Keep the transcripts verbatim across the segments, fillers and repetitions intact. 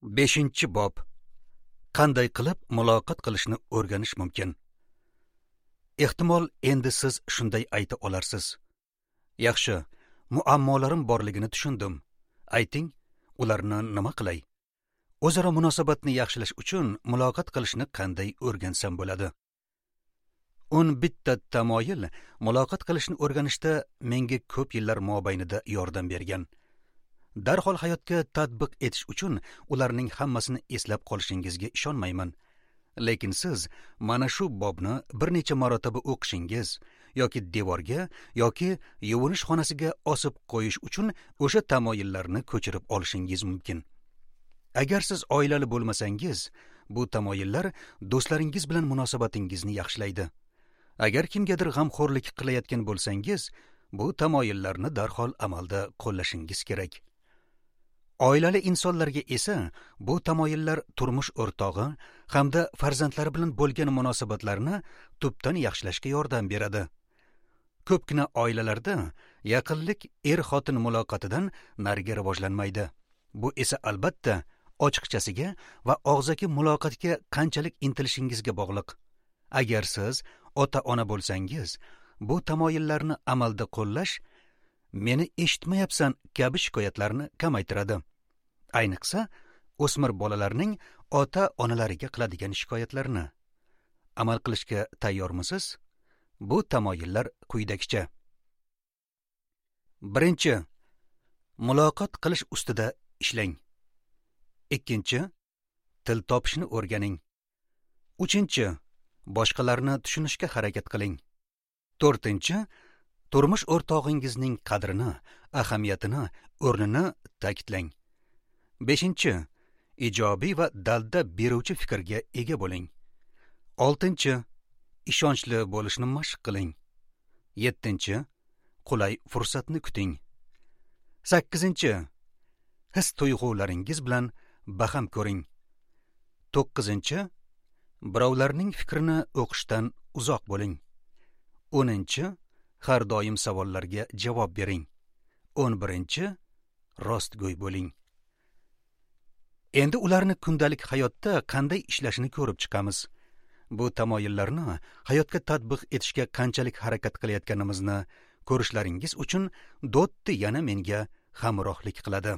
Beshinchi bob. Qanday qilib muloqot qilishni o'rganish mumkin? Ehtimol endi siz shunday ayta olarsiz: Yaxshi, muammolarim borligini tushundim. Ayting, ularni nima qilay? O'zaro munosabatni yaxshilash uchun muloqot qilishni qanday o'rgansam bo'ladi? O'n bitta tamoyil muloqot qilishni o'rganishda menga ko'p yillar mobaynida yordam bergan. Darhol hayotga tatbiq etish uchun ularning hammasini eslab qolishingizga ishonmayman. Lekin siz mana shu bobni bir necha marotaba o'qishingiz yoki devorga yoki yuvinish xonasiga osib qo'yish uchun o'sha tamoyillarni ko'chirib olishingiz mumkin. Agar siz oilali bo'lmasangiz, bu tamoyillar do'stlaringiz bilan munosabatingizni yaxshilaydi. Agar kimgadir g'amxo'rlik qilayotgan bo'lsangiz, bu tamoyillarni darhol amalda qo'llashingiz kerak. Oilali insonlarga esa bu tamoyillar turmush o'rtog'i hamda farzandlari bilan bo'lgan munosabatlarni tubdan yaxshilashga yordam beradi. Ko'pgina oilalarda yaqinlik er-xotin muloqotidan nariga rivojlanmaydi. Bu esa albatta ochiqchasiga va og'zaki muloqotga qanchalik intilishingizga bog'liq. Agar siz ota-ona bo'lsangiz, bu tamoyillarni amalda qo'llash meni eshitmayapsan kabi shikoyatlarni kamaytiradi. Ayniqsa, o'smir bolalarning ota-onalariga qiladigan shikoyatlarni. Amal qilishga tayyormisiz? Bu tamoyillar quyidagicha. Birinchi, muloqot qilish ustida ishlang. Ikkinchi, til topishni o'rganing. Uchinchi, boshqalarni tushunishga harakat qiling. To'rtinchi, turmush o'rtog'ingizning qadrini, ahamiyatini, o'rnini ta'kidlang. Beshinchi, ijobiy va dalda beruvchi fikrga ega bo'ling. Oltinchi, ishonchli bo'lishni mashq qiling. Yettinchi, qulay fursatni kuting. Sakkizinchi, his tuyg'ularingiz bilan baham ko'ring. To'qqizinchi, birovlarning fikrini o'qishdan uzoq bo'ling. O'ninchi, har doim savollarga javob bering. O'n birinchi, rostgo'y bo'ling. Endi ularni kundalik hayotda qanday ishlashini ko'rib chiqamiz. Bu tamoyillarni hayotga tatbiq etishga qanchalik harakat qilayotganimizni ko'rishlaringiz uchun Dotti yana menga hamrohlik qiladi.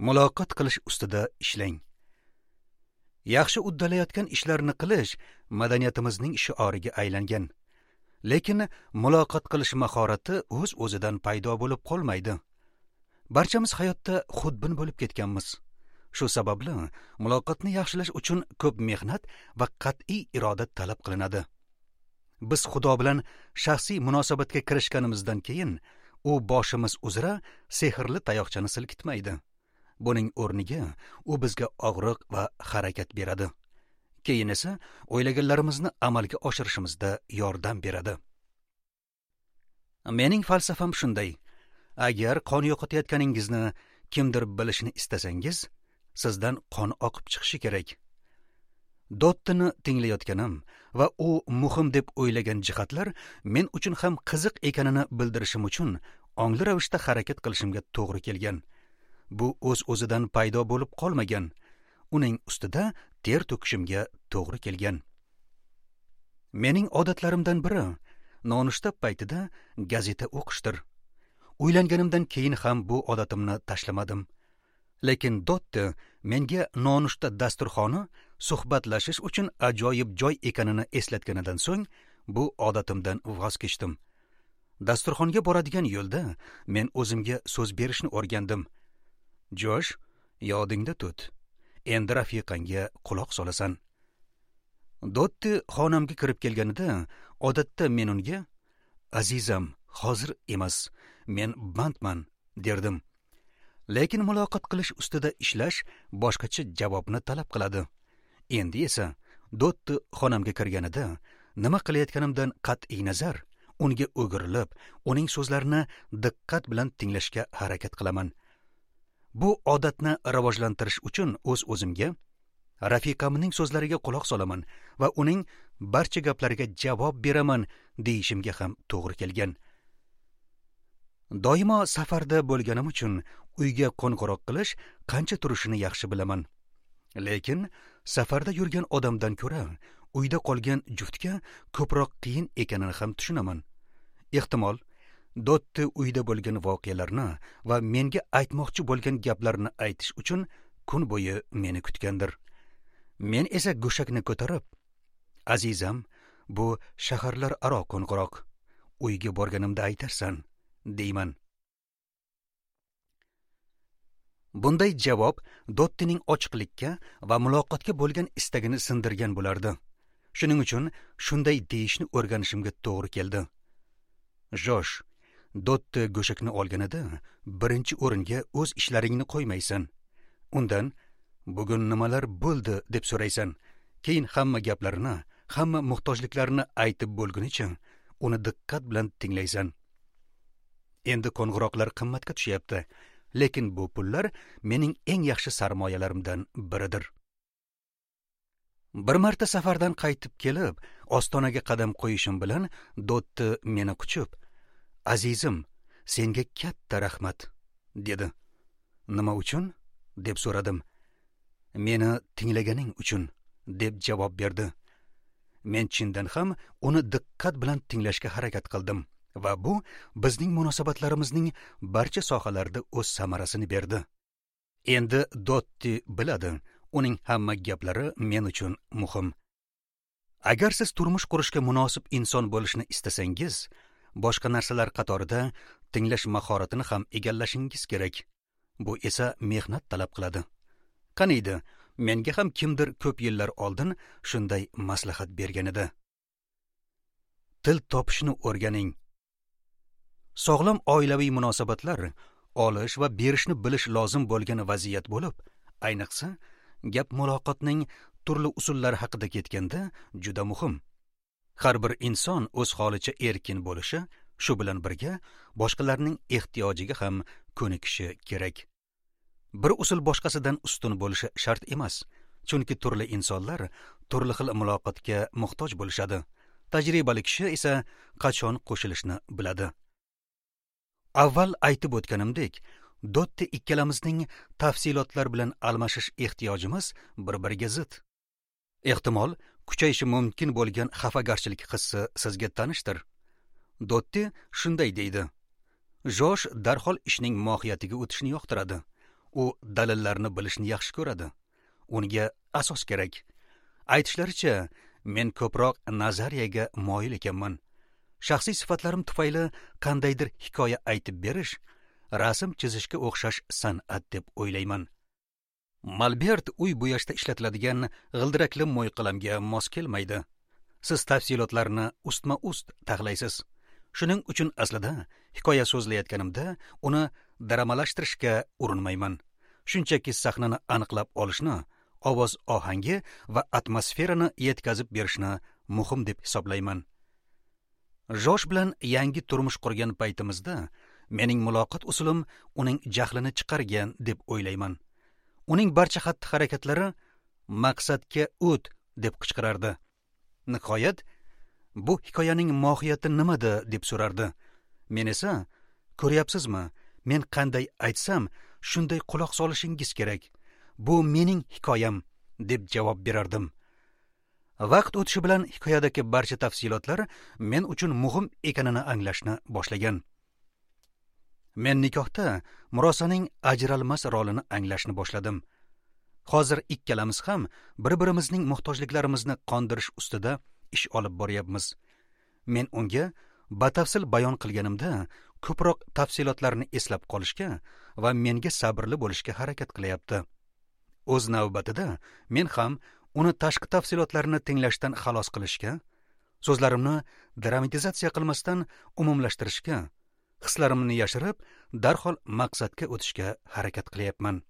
Muloqot qilish ustida ishlang. Yaxshi uddalayotgan ishlarni qilish madaniyatimizning shioriga aylangan. Lekin muloqot qilish mahorati o'z-o'zidan paydo bo'lib qolmaydi. Barchamiz hayotda xudbin bo'lib ketganmiz. Shu sababli muloqotni yaxshilash uchun ko'p mehnat va qat'iy iroda talab qilinadi. Biz Xudo bilan shaxsiy munosabatga kirishganimizdan keyin u boshimiz uzra sehrli tayoqchani silkitmaydi. Buning o'rniga u bizga og'riq va harakat beradi. Keyin esa o'ylaganlarimizni amalga oshirishimizda yordam beradi. Mening falsafam shunday: agar qon yo'qotayotganingizni kimdir bilishini istasangiz, sizdan qon oqib chiqishi kerak. Dottini tinglayotganim va u muhim deb o'ylagan jihatlar men uchun ham qiziq ekanini bildirishim uchun ongli ravishda harakat qilishimga to'g'ri kelgan. Bu o'z-o'zidan paydo bo'lib qolmagan. Uning ustida ter to'kishimga to'g'ri kelgan. Mening odatlarimdan biri nonushta paytida gazeta o'qishdir. Uylanganimdan keyin ham bu odatimni tashlamadim. Lekin Dotti menga nonushta dasturxoni suhbatlashish uchun ajoyib joy ekanini eslatganidan so'ng bu odatimdan voz kechdim. Dasturxonga boradigan yo'lda men o'zimga so'z berishni o'rgandim. Josh, yodingda tut. Endi rafiqangga quloq solasan. Dotti xonamga kirib kelganida odatda men unga: "Azizam, hozir emas, men bandman" derdim. Lekin muloqot qilish ustida ishlash boshqacha javobni talab qiladi. Endi esa Dotti xonamga kirganida nima qilayotganimdan qat'iy nazar unga o'girilib, uning so'zlarini diqqat bilan tinglashga harakat qilaman. Bu odatni rivojlantirish uchun o'z-o'zimga rafiqamning so'zlariga quloq solaman va uning barcha gaplariga javob beraman deyishimga ham to'g'ri kelgan. Doimo safarda bo'lganim uchun uyga qo'ng'iroq qilish qancha turishini yaxshi bilaman. Lekin safarda yurgan odamdan ko'ra uyda qolgan juftga ko'proq qiyin ekanini ham tushunaman. Ehtimol, Dotti uyda bo'lgan voqealarni va menga aytmoqchi bo'lgan gaplarni aytish uchun kun bo'yi meni kutgandir. Men esa go'shakni ko'tarib, "Azizam, bu shaharlararo qo'ng'iroq. Uyga borganimda aytarsan", deyman. Bunday javob Dottining ochiqlikka va muloqotga bo'lgan istagini sindirgan bo'lardi. Shuning uchun shunday deyishni o'rganishimga to'g'ri keldi. Josh, Dotti go'shakni olganida birinchi o'ringa o'z ishlaringni qo'ymaysan. Undan bugun nimalar bo'ldi deb so'raysan. Keyin hamma gaplarini, hamma muhtojliklarini aytib bo'lgunicha uni diqqat bilan tinglaysan. Endi qo'ng'iroqlar qimmatga tushyapti, lekin bu pullar mening eng yaxshi sarmoyalarimdan biridir. Bir marta safardan qaytib kelib, ostonaga qadam qo'yishim bilan Dotti meni quchib, "Azizim, senga katta rahmat", dedi. "Nima uchun?" deb so'radim. "Meni tinglaganing uchun", deb javob berdi. Men chindan ham uni diqqat bilan tinglashga harakat qildim va bu bizning munosabatlarimizning barcha sohalarida o'z samarasini berdi. Endi Dotti biladi, uning hamma gaplari men uchun muhim. Agar siz turmush qurishga munosib inson bo'lishni istasangiz, boshqa narsalar qatorida tinglash mahoratini ham egallashingiz kerak. Bu esa mehnat talab qiladi. Qaniydi, menga ham kimdir ko'p yillar oldin shunday maslahat bergan edi. Til topishni o'rganing. Sog'lom oilaviy munosabatlar olish va berishni bilish lozim bo'lgan vaziyat bo'lib, ayniqsa gap muloqotning turli usullari haqida ketganda juda muhim. Har bir inson o'z holicha erkin bo'lishi, shu bilan birga boshqalarning ehtiyojiga ham ko'nikishi kerak. Bir usul boshqasidan ustun bo'lishi shart emas, chunki turli insonlar turli xil muloqotga muhtoj bo'lishadi. Tajribali kishi esa qachon qo'shilishni biladi. Avval aytib o'tganimdek, Dotti ikkalamizning tafsilotlar bilan almashish ehtiyojimiz bir-biriga zid. Ehtimol, kuchayishi mumkin bo'lgan xafagarchilik hissi sizga tanishdir. Dotti shunday deydi: Josh darhol ishning mohiyatiga o'tishni yoqtiradi. U dalillarni bilishni yaxshi ko'radi. Unga asos kerak. Aytishlaricha, men ko'proq nazariyaga moyil ekanman. Shaxsiy sifatlarim tufayli qandaydir hikoya aytib berish, rasm chizishga o'xshash san'at deb o'ylayman. Molbert uy bo'yashda ishlatiladigan g'ildirakli mo'yqalamga mos kelmaydi. Siz tafsilotlarni ustma-ust taxlaysiz. Shuning uchun aslida hikoya so'zlayotganimda uni dramalashtirishga urinmayman. Shunchaki sahnani aniqlab olishni, ovoz ohangi va atmosferani yetkazib berishni muhim deb hisoblayman. Josh bilan yangi turmush qurgan paytimizda mening muloqot usulim uning jahlini chiqargan deb o'ylayman. Uning barcha xatti-harakatlari maqsadga o't deb qichqirardi. Nihoyat, bu hikoyaning mohiyati nimada deb so'rardi. Men esa, ko'ryapsizmi, men qanday aytsam, shunday quloq solishingiz kerak. Bu mening hikoyam deb javob berardim. Vaqt o'tishi bilan hikoyadagi barcha tafsilotlar men uchun muhim ekanini anglashni boshlagan. Men nikohda murosaning ajralmas rolini anglashni boshladim. Hozir ikkalamiz ham bir-birimizning muhtojliklarimizni qondirish ustida ish olib boryapmiz. Men unga batafsil bayon qilganimda ko'proq tafsilotlarni eslab qolishga va menga sabrli bo'lishga harakat qilyapti. O'z navbatida men ham uni tashqi tafsilotlarni tinglashdan xalos qilishga, so'zlarimni dramatizatsiya qilmasdan umumlashtirishga, hislarimni yashirib, darhol maqsadga o'tishga harakat qilyapman.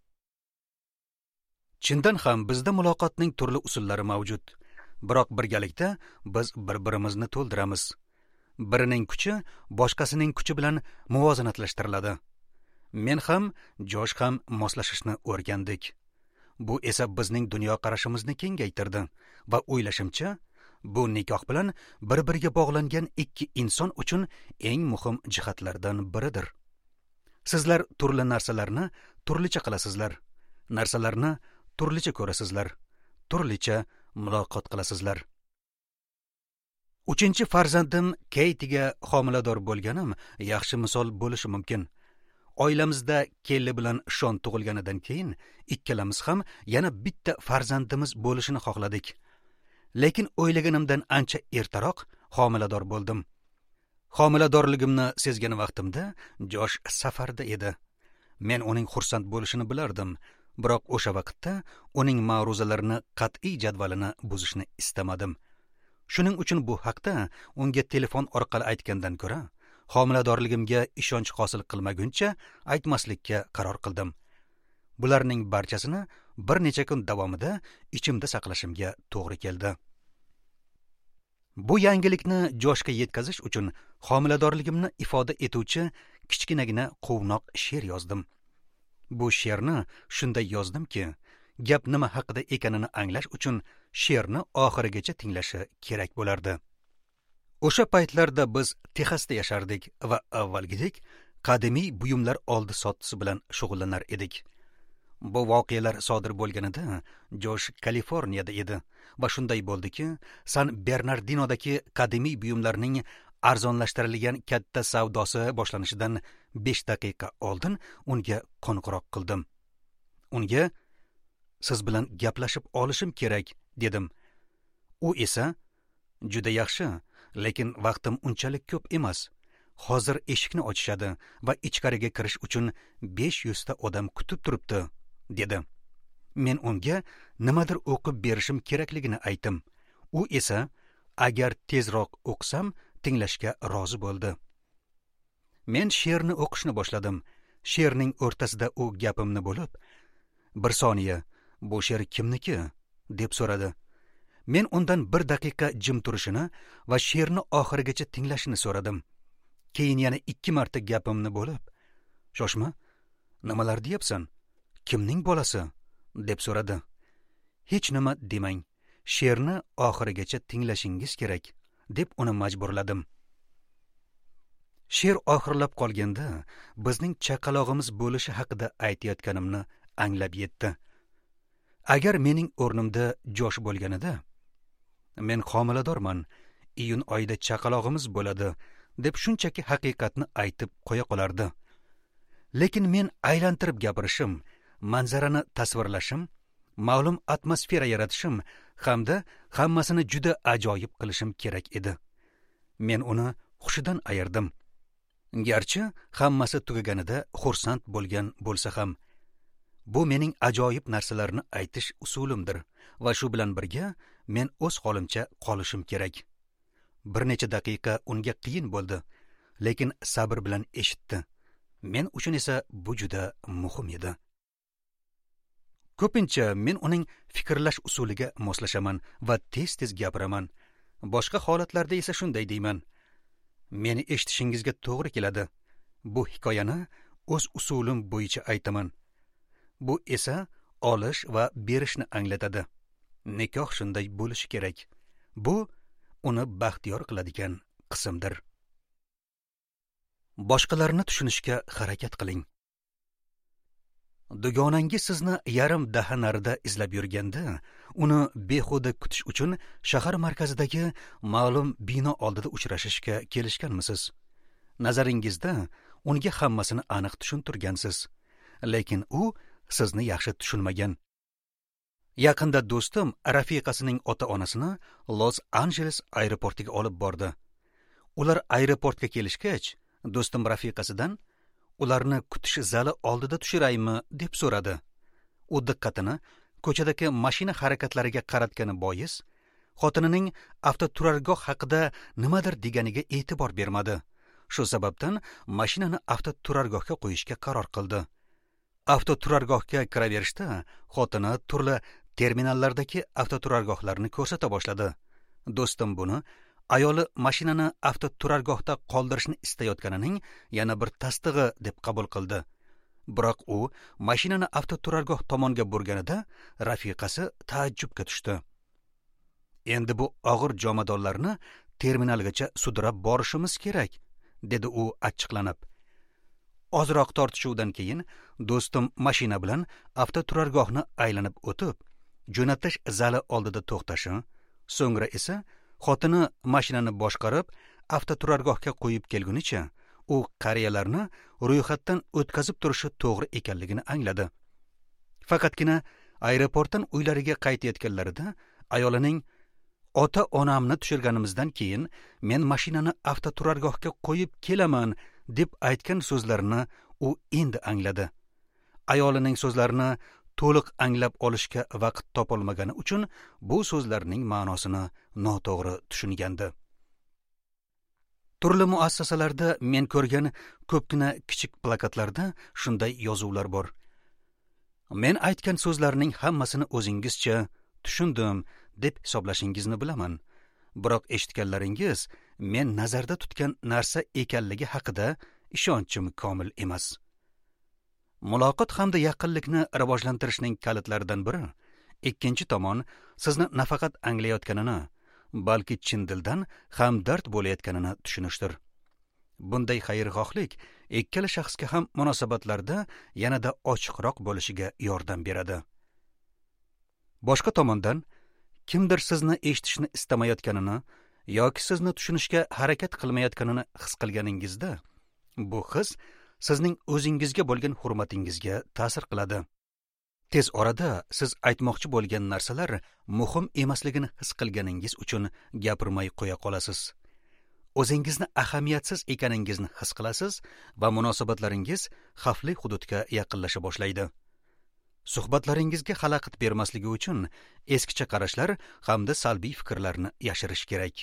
Chindan ham bizda muloqotning turli usullari mavjud. Biroq birgalikda biz bir-birimizni to'ldiramiz. Birining kuchi boshqasining kuchi bilan muvozanatlashtiriladi. Men ham, Josh ham moslashishni o'rgandik. Bu esa bizning dunyoqarashimizni kengaytirdi va o'ylashimcha, bu nikoh bilan bir-biriga bog'langan ikki inson uchun eng muhim jihatlardan biridir. Sizlar turli narsalarni turlicha qilasizlar, narsalarni turlicha ko'rasizlar, turlicha muloqot qilasizlar. Uchinchi farzandim Keytiga homilador bo'lganim yaxshi misol bo'lishi mumkin. Oilamizda Kelli bilan Shon tug'ilganidan keyin ikkalamiz ham yana bitta farzandimiz bo'lishini xohladik. Lekin o'ylaganimdan ancha ertaroq homilador bo'ldim. Homiladorligimni sezgan vaqtimda Josh safarda edi. Men uning xursand bo'lishini bilardim, biroq o'sha vaqtda uning ma'ruzalarini qat'iy jadvalini buzishni istamadim. Shuning uchun bu haqda unga telefon orqali aytgandan ko'ra, homiladorligimga ishonch hosil qilmaguncha aytmaslikka qaror qildim. Bularning barchasini bir necha kun davomida ichimda saqlashimga to'g'ri keldi. Bu yangilikni Joshga yetkazish uchun homiladorligimni ifoda etuvchi kichkinagina quvnoq she'r yozdim. Bu she'rni shunday yozdimki, gap nima haqida ekanini anglash uchun she'rni oxirigacha tinglashi kerak bo'lardi. O'sha paytlarda biz Texasda yashardik va avvalgidek qadimiy buyumlar oldi-sotdisi bilan shug'ullanar edik. Bu voqealar sodir bo'lganida Josh Kaliforniyada edi va shunday bo'ldiki, San Bernardinodagi qadimiy buyumlarning arzonlashtirilgan katta savdosi boshlanishidan besh daqiqa oldin unga qo'ng'iroq qildim. Unga siz bilan gaplashib olishim kerak dedim. U esa juda yaxshi, lekin vaqtim unchalik ko'p emas. Hozir eshikni ochishadi va ichkariga kirish uchun besh yuz ta odam kutib turibdi, dedi. Men unga nimadir o'qib berishim kerakligini aytdim. U esa agar tezroq o'qsam tinglashga rozi bo'ldi. Men she'rni o'qishni boshladim. She'rning o'rtasida u gapimni bo'lib, "Bir soniya, bu she'r kimniki?" deb so'radi. Men undan bir daqiqa jim turishini va she'rni oxirigacha tinglashini so'radim. Keyin yana ikki marta gapimni bo'lib, "Shoshma, nimalar deyapsan? Kimning bolasi?" deb so'radi. "Hech nima demang, she'rni oxirigacha tinglashingiz kerak", deb uni majburladim. She'r oxirlab qolganda bizning chaqalog'imiz bo'lishi haqida aytayotganimni anglab yetdi. Agar mening o'rnimda Josh bo'lganida, men homiladorman, iyun oyida chaqalog'imiz bo'ladi, deb shunchaki haqiqatni aytib qo'ya qolardi. Lekin men aylantirib gapirishim, manzarani tasvirlashim, ma'lum atmosfera yaratishim hamda hammasini juda ajoyib qilishim kerak edi. Men uni hushidan ayirdim. Garchi hammasi tugaganida xursand bo'lgan bo'lsa ham, bu mening ajoyib narsalarni aytish usulimdir va shu bilan birga men o'z holimcha qolishim kerak. Bir necha daqiqa unga qiyin bo'ldi, lekin sabr bilan eshitdi. Men uchun esa bu juda muhim edi. Ko'pincha men uning fikrlash usuliga moslashaman va tez-tez gapiraman. Boshqa holatlarda esa shunday deyman: meni eshitishingizga to'g'ri keladi. Bu hikoyani o'z usulim bo'yicha aytaman. Bu esa olish va berishni anglatadi. Nikoh shunday bo'lishi kerak. Bu uni baxtiyor qiladigan qismdir. Boshqalarni tushunishga harakat qiling. Dugonangiz sizni yarim daha narida izlab yurganda, uni behuda kutish uchun shahar markazidagi ma'lum bino oldida uchrashishga kelishganmisiz? Nazaringizda unga hammasini aniq tushuntirgansiz, lekin u sizni yaxshi tushunmagan. Yaqinda do'stim rafiqasining ota-onasini Los-Anjeles aeroportiga olib bordi. Ular aeroportga kelishgach, do'stim rafiqasidan ularni kutish zali oldida tushiraymi deb so'radi. U diqqatini ko'chadagi mashina harakatlariga qaratgani bois, xotinining avtoturargoh haqida nimadir deganiga e'tibor bermadi. Shu sababdan mashinani avtoturargohga qo'yishga qaror qildi. Avtoturargohga kiraverishda xotini turli terminallardagi avtoturargohlarni ko'rsata boshladi. Do'stim buni ayoli mashinani avtoturargohda qoldirishni istayotganining yana bir tasdig'i deb qabul qildi. Biroq u mashinani avtoturargoh tomonga burganida rafiqasi taajjubga tushdi. Endi bu og'ir jomadonlarni terminalgacha sudrab borishimiz kerak, dedi u achchiqlanib. Ozroq tortishuvdan keyin do'stim mashina bilan avtoturargohni aylanib o'tib, jo'natish zali oldida to'xtashi, so'ngra esa xotini mashinani boshqarib avtoturargohga qo'yib kelgunicha u qariyalarni ro'yxatdan o'tkazib turishi to'g'ri ekanligini angladi. Faqatgina aeroportdan uylariga qaytayotganlarida ayolining ota-onamni tushirganimizdan keyin men mashinani avtoturargohga qo'yib kelaman deb aytgan so'zlarini u endi angladi. Ayolining so'zlarini to'liq anglab olishga vaqt topolmagani uchun bu so'zlarning ma'nosini noto'g'ri tushungandi. Turli muassasalarda men ko'rgan ko'pgina kichik plakatlarda shunday yozuvlar bor. Men aytgan so'zlarning hammasini o'zingizcha tushundim deb hisoblashingizni bilaman. Biroq eshitganlaringiz men nazarda tutgan narsa ekanligi haqida ishonchim komil emas. Muloqot hamda yaqinlikni rivojlantirishning kalitlaridan biri ikkinchi tomon sizni nafaqat anglayotganini, balki chin dildan hamdard bo'layotganini tushunishdir. Bunday xayrixohlik ikkala shaxsga ham munosabatlarda yanada ochiqroq bo'lishiga yordam beradi. Boshqa tomondan, kimdir sizni eshitishni istamayotganini yoki sizni tushunishga harakat qilmayotganini his qilganingizda, bu his sizning o'zingizga bo'lgan hurmatingizga ta'sir qiladi. Tez orada siz aytmoqchi bo'lgan narsalar muhim emasligini his qilganingiz uchun gapirmay qo'ya qolasiz. O'zingizni ahamiyatsiz ekaningizni his qilasiz va munosabatlaringiz xavfli hududga yaqinlasha boshlaydi. Suhbatlaringizga xalaqit bermasligi uchun eskicha qarashlar hamda salbiy fikrlarni yashirish kerak.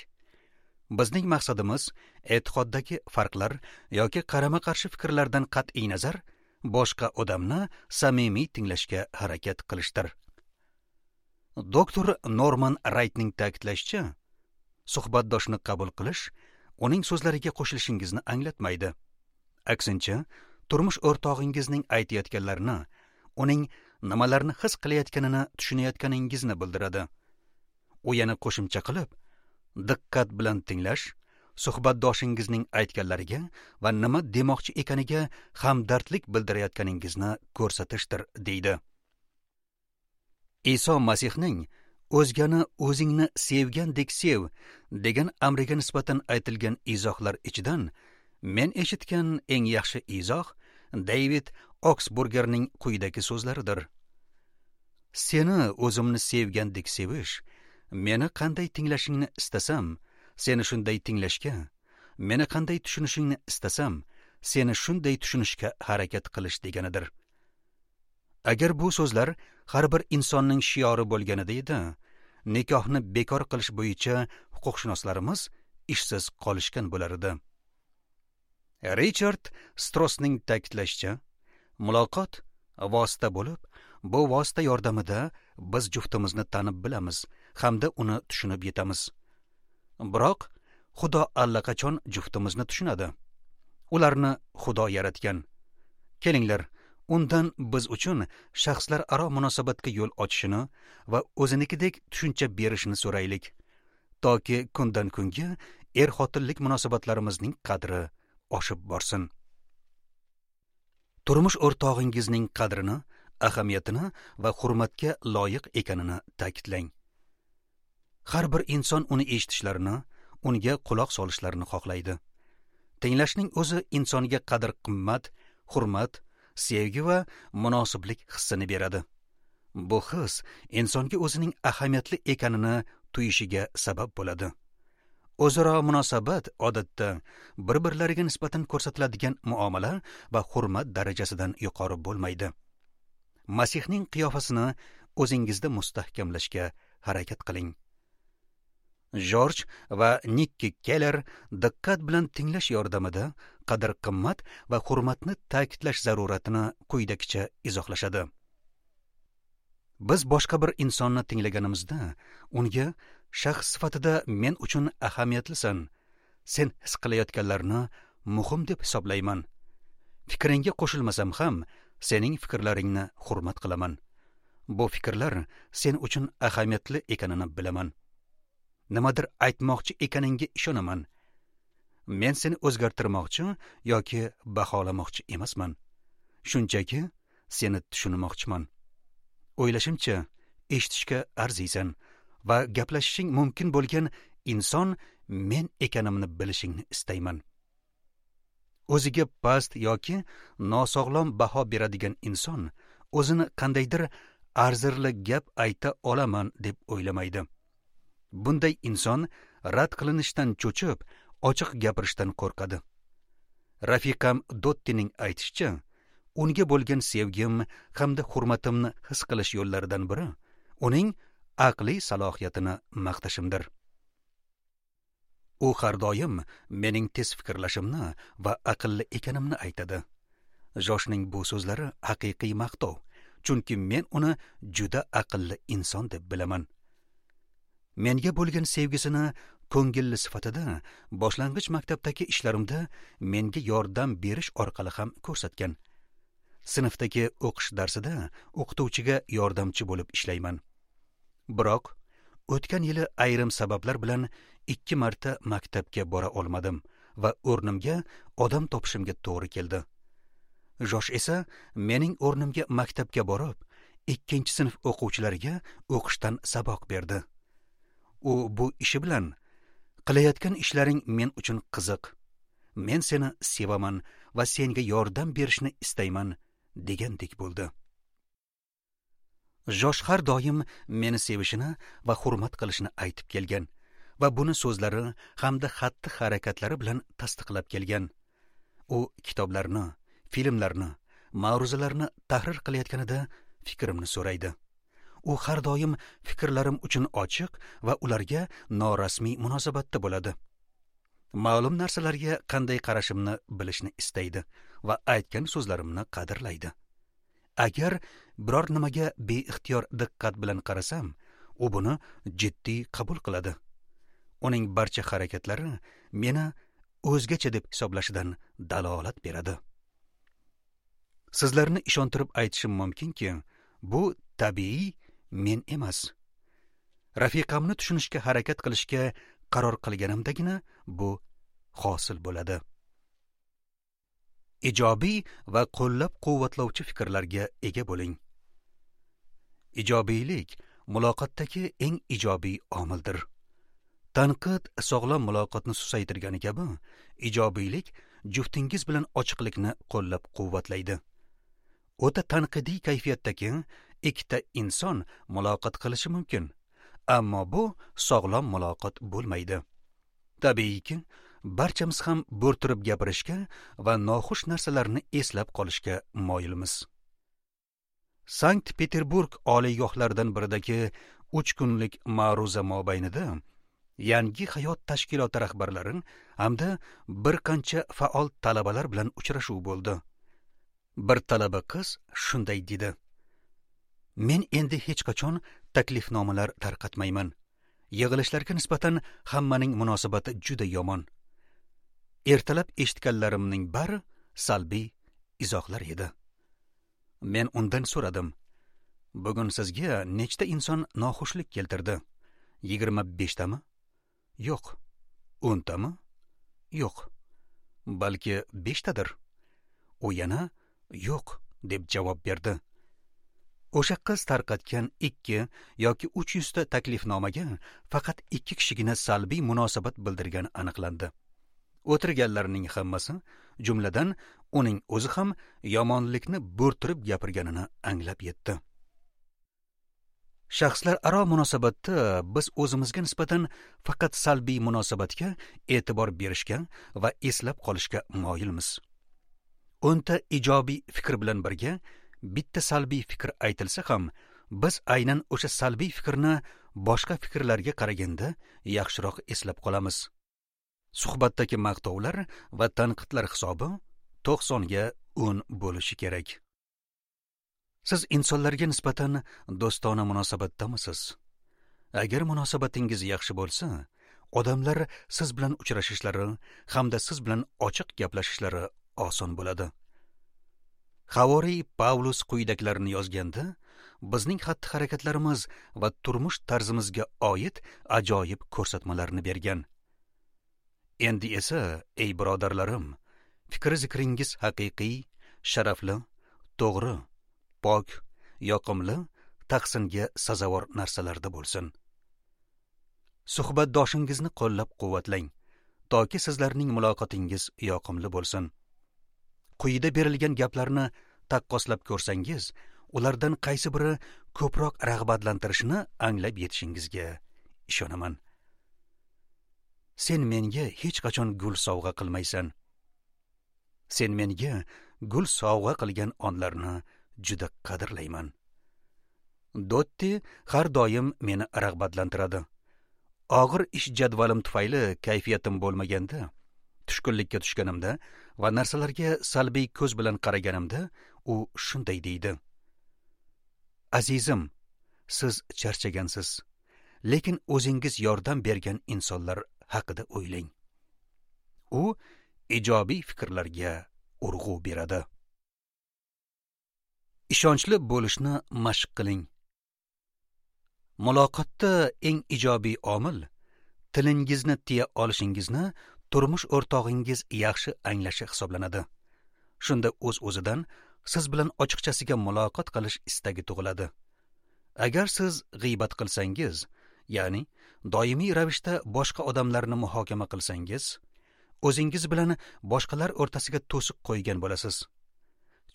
Bizning maqsadimiz e'tiqoddagi farqlar yoki qarama-qarshi fikrlardan qat'iy nazar boshqa odamni samimiy tinglashga harakat qilishdir. Doktor Norman Raytning ta'kidlashicha, suhbatdoshni qabul qilish uning so'zlariga qo'shilishingizni anglatmaydi. Aksincha, turmush o'rtog'ingizning aytayotganlarini, uning nimalarni his qilayotganini tushunayotganingizni bildiradi. U yana qo'shimcha qilib, diqqat bilan tinglash, suhbatdoshingizning aytganlariga va nima demoqchi ekaniga hamdardlik bildirayotganingizni ko'rsatishdir, deydi. Iso Masihning o'zgani o'zingni sevgandek sev degan amriga nisbatan aytilgan izohlar ichidan men eshitgan eng yaxshi izoh David Oksburgerning quyidagi so'zlaridir. Seni o'zimni sevgandek sevish, meni qanday tinglashingni istasam, seni shunday tinglashga, meni qanday tushunishingni istasam, seni shunday tushunishga harakat qilish deganidir. Agar bu so'zlar har bir insonning shiori bo'lganida edi, nikohni bekor qilish bo'yicha huquqshunoslarimiz ishsiz qolishgan bo'lar edi. Richard Strossning ta'kidlashicha, muloqot vosita bo'lib, bu vosita yordamida biz juftimizni tanib bilamiz hamda uni tushunib yetamiz. Biroq Xudo allaqachon juftimizni tushunadi. Ularni Xudo yaratgan. Kelinglar, undan biz uchun shaxslararo munosabatga yo'l ochishini va o'zinikidek tushuncha berishini so'raylik, toki kundan kunga er-xotinlik munosabatlarimizning qadri oshib borsin. Turmush o'rtog'ingizning qadrini, ahamiyatini va hurmatga loyiq ekanini ta'kidlang. Har bir inson uni eshitishlarini, unga quloq solishlarini xohlaydi. Tinglashning o'zi insonga qadr-qimmat, hurmat, sevgi va munosiblik hissini beradi. Bu his insonga o'zining ahamiyatli ekanini tuyishiga sabab bo'ladi. O'zaro munosabat odatda bir-birlariga nisbatan ko'rsatiladigan muomala va hurmat darajasidan yuqori bo'lmaydi. Masihning qiyofasini o'zingizda mustahkamlashga harakat qiling. George va Nikki Keller diqqat bilan tinglash yordamida qadr-qimmat va hurmatni ta'kidlash zaruratini quyidagicha izohlashadi. Biz boshqa bir insonni tinglaganimizda unga shaxs sifatida men uchun ahamiyatlisan, sen his qilayotganlarni muhim deb hisoblayman. Fikringga qo'shilmasam ham sening fikrlaringni hurmat qilaman. Bu fikrlar sen uchun ahamiyatli ekanini bilaman. Nimadir aytmoqchi ekaningga ishonaman. Men seni o'zgartirmoqchi yoki baholamoqchi emasman. Shunchaki seni tushunmoqchiman. O'ylashimcha, eshitishga arziysan va gaplashishing mumkin bo'lgan inson men ekanimni bilishingni istayman. O'ziga past yoki nosog'lom baho beradigan inson o'zini qandaydir arzirli gap ayta olaman deb o'ylamaydi. Bunday inson rad qilinishdan cho'chib, ochiq gapirishdan qo'rqadi. Rafiqam Dottining aytishicha, unga bo'lgan sevgim hamda hurmatimni his qilish yo'llaridan biri uning aqliy salohiyatini maqtashimdir. U har doim mening tez fikrlashimni va aqlli ekanimni aytadi. Joshning bu so'zlari haqiqiy maqtov, chunki men uni juda aqlli inson deb bilaman. Menga bo'lgan sevgisini ko'ngilli sifatida boshlang'ich maktabdagi ishlarimda menga yordam berish orqali ham ko'rsatgan. Sinfdagi o'qish darsida o'qituvchiga yordamchi bo'lib ishlayman. Biroq o'tgan yili ayrim sabablar bilan ikki marta maktabga bora olmadim va o'rnimga odam topishimga to'g'ri keldi. Josh esa mening o'rnimga maktabga borib, ikkinchi sinf o'quvchilariga o'qishdan saboq berdi. U bu ishi bilan qilayotgan ishlaring men uchun qiziq. Men seni sevaman va senga yordam berishni istayman degandek bo'ldi. Josh har doim meni sevishini va hurmat qilishini aytib kelgan va buni so'zlari hamda xatti-harakatlari bilan tasdiqlab kelgan. U kitoblarni, filmlarni, ma'ruzalarni tahrir qilayotganida fikrimni so'raydi. U har doim fikrlarim uchun ochiq va ularga norasmiy munosabatda bo'ladi. Ma'lum narsalarga qanday qarashimni bilishni istaydi va aytgan so'zlarimni qadrlaydi. Agar biror nimaga beixtiyor diqqat bilan qarasam, u buni jiddiy qabul qiladi. Uning barcha harakatlari meni o'zgacha deb hisoblashidan dalolat beradi. Sizlarni ishontirib aytishim mumkinki, bu tabiiy men emas. Rafiqamni tushunishga harakat qilishga qaror qilganimdagina bu hosil bo'ladi. Ijobiy va qo'llab-quvvatlovchi fikrlarga ega bo'ling. Ijobiylik muloqotdagi eng ijobiy omildir. Tanqid sog'lom muloqotni susaytirgani kabi, ijobiylik juftingiz bilan ochiqlikni qo'llab-quvvatlaydi. O'ta tanqidiy kayfiyatdagi ikkita inson muloqot qilishi mumkin, ammo bu sog'lom muloqot bo'lmaydi. Tabiiyki, barchamiz ham bo'rttirib gapirishga va noxush narsalarni eslab qolishga moyilmiz. Sankt-Peterburg oliygohlaridan biridagi uch kunlik ma'ruza mobaynida Yangi hayot tashkiloti rahbarlari hamda bir qancha faol talabalar bilan uchrashuv bo'ldi. Bir talaba qiz shunday dedi: Men endi hech qachon taklifnomalar tarqatmayman. Yig'ilishlarga nisbatan hammaning munosabati juda yomon. Ertalab eshitganlarimning bari salbiy izohlar edi. Men undan so'radim: Bugun sizga nechta inson noxushlik keltirdi? Yigirma beshtami? Yo'q. O'ntami? Yo'q. Balki beshtadir. U yana yo'q deb javob berdi. O'sha qiz tarqatgan ikki yoki uch yuzta taklifnomaga faqat ikki kishigina salbiy munosabat bildirgani aniqlandi. O'tirganlarning hammasi, jumladan uning o'zi ham yomonlikni bo'rttirib gapirganini anglab yetdi. Shaxslararo munosabatda biz o'zimizga nisbatan faqat salbiy munosabatga e'tibor berishga va eslab qolishga moyilmiz. O'nta ijobiy fikr bilan birga bitta salbiy fikr aytilsa ham, biz aynan o'sha salbiy fikrni boshqa fikrlarga qaraganda yaxshiroq eslab qolamiz. Suhbatdagi maqtovlar va tanqidlar hisobi to'qsonga o'n bo'lishi kerak. Siz insonlarga nisbatan do'stona munosabatdamisiz? Agar munosabatingiz yaxshi bo'lsa, odamlar siz bilan uchrashishlari hamda siz bilan ochiq gaplashishlari oson bo'ladi. Havoriy Pavlus quyidagilarni yozganda, bizning xatti-harakatlarimiz va turmush tarzimizga oid ajoyib ko'rsatmalarni bergan. Endi esa, ey birodarlarim, fikr zikringiz haqiqiy, sharafli, to'g'ri, pok, yoqimli, tahsinga sazovor narsalarda bo'lsin. Suhbatdoshingizni qo'llab-quvvatlang, toki sizlarning muloqotingiz yoqimli bo'lsin. Quyida berilgan gaplarni taqqoslab ko'rsangiz, ulardan qaysi biri ko'proq rag'batlantirishini anglab yetishingizga ishonaman. Sen menga hech qachon gul sovg'a qilmaysan. Sen menga gul sovg'a qilgan onlarni juda qadrlayman. Dotti har doim meni rag'batlantiradi. Og'ir ish jadvalim tufayli kayfiyatim bo'lmaganda, tushkunlikka tushganimda va narsalarga salbiy ko'z bilan qaraganimda u shunday deydi: Azizim, siz charchagansiz, lekin o'zingiz yordam bergan insonlar haqida o'ylang. U ijobiy fikrlarga urg'u beradi. Ishonchli bo'lishni mashq qiling. Muloqotda eng ijobiy omil tilingizni tiya olishingizni turmush o'rtog'ingiz yaxshi anglashi hisoblanadi. Shunda o'z-o'zidan siz bilan ochiqchasiga muloqot qilish istagi tug'iladi. Agar siz g'iybat qilsangiz, ya'ni doimiy ravishda boshqa odamlarni muhokama qilsangiz, o'zingiz bilan boshqalar o'rtasiga to'siq qo'ygan bo'lasiz.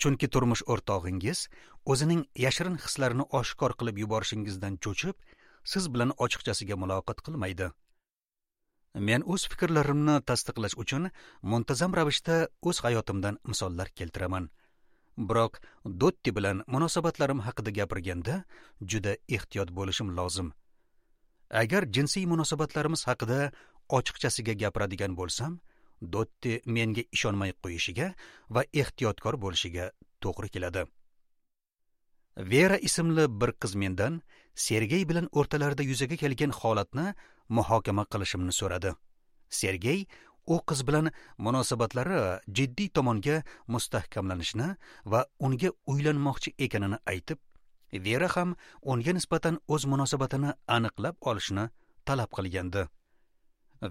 Chunki turmush o'rtog'ingiz o'zining yashirin hislarini oshkor qilib yuborishingizdan cho'chib, siz bilan ochiqchasiga muloqot qilmaydi. Men o'z fikrlarimni tasdiqlash uchun muntazam ravishda o'z hayotimdan misollar keltiraman. Biroq Dotti bilan munosabatlarim haqida gapirganda juda ehtiyot bo'lishim lozim. Agar jinsiy munosabatlarimiz haqida ochiqchasiga gapiradigan bo'lsam, Dotti menga ishonmay qo'yishiga va ehtiyotkor bo'lishiga to'g'ri keladi. Vera ismli bir qiz mendan Sergey bilan o'rtalarida yuzaga kelgan holatni muhokama qilishimni so'radi. Sergey u qiz bilan munosabatlari jiddiy tomonga mustahkamlanishini va unga uylanmoqchi ekanini aytib, Vera ham unga nisbatan o'z munosabatini aniqlab olishni talab qilgandi.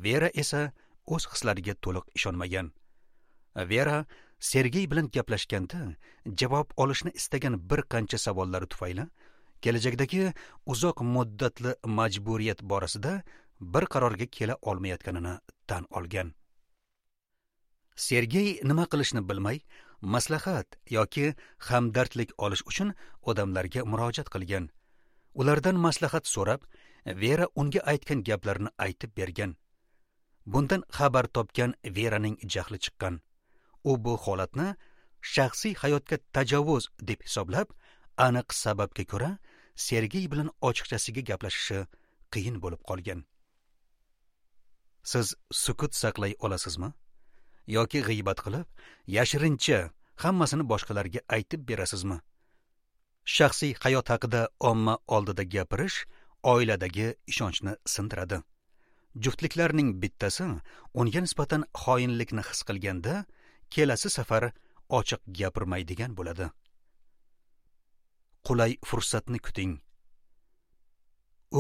Vera esa o'z hislariga to'liq ishonmagan. Vera Sergey bilan gaplashganda javob olishni istagan bir qancha savollari tufayli kelajakdagi uzoq muddatli majburiyat borasida bir qarorga kela olmayotganini tan olgan. Sergey nima qilishni bilmay, maslahat yoki hamdardlik olish uchun odamlarga murojaat qilgan. Ulardan maslahat so'rab, Vera unga aytgan gaplarni aytib bergan. Bundan xabar topgan Veraning jahli chiqqan. U bu holatni shaxsiy hayotga tajovuz deb hisoblab, aniq sababga ko'ra Sergey bilan ochiqchasiga gaplashishi qiyin bo'lib qolgan. Siz sukut saqlay olasizmi? Yoki g'iybat qilib, yashirincha hammasini boshqalarga aytib berasizmi? Shaxsiy hayot haqida omma oldida gapirish oiladagi ishonchni sindiradi. Juftliklarning bittasi unga nisbatan xoinlikni his qilganda, kelasi safar ochiq gapirmaydigan bo'ladi. Qulay fursatni kuting.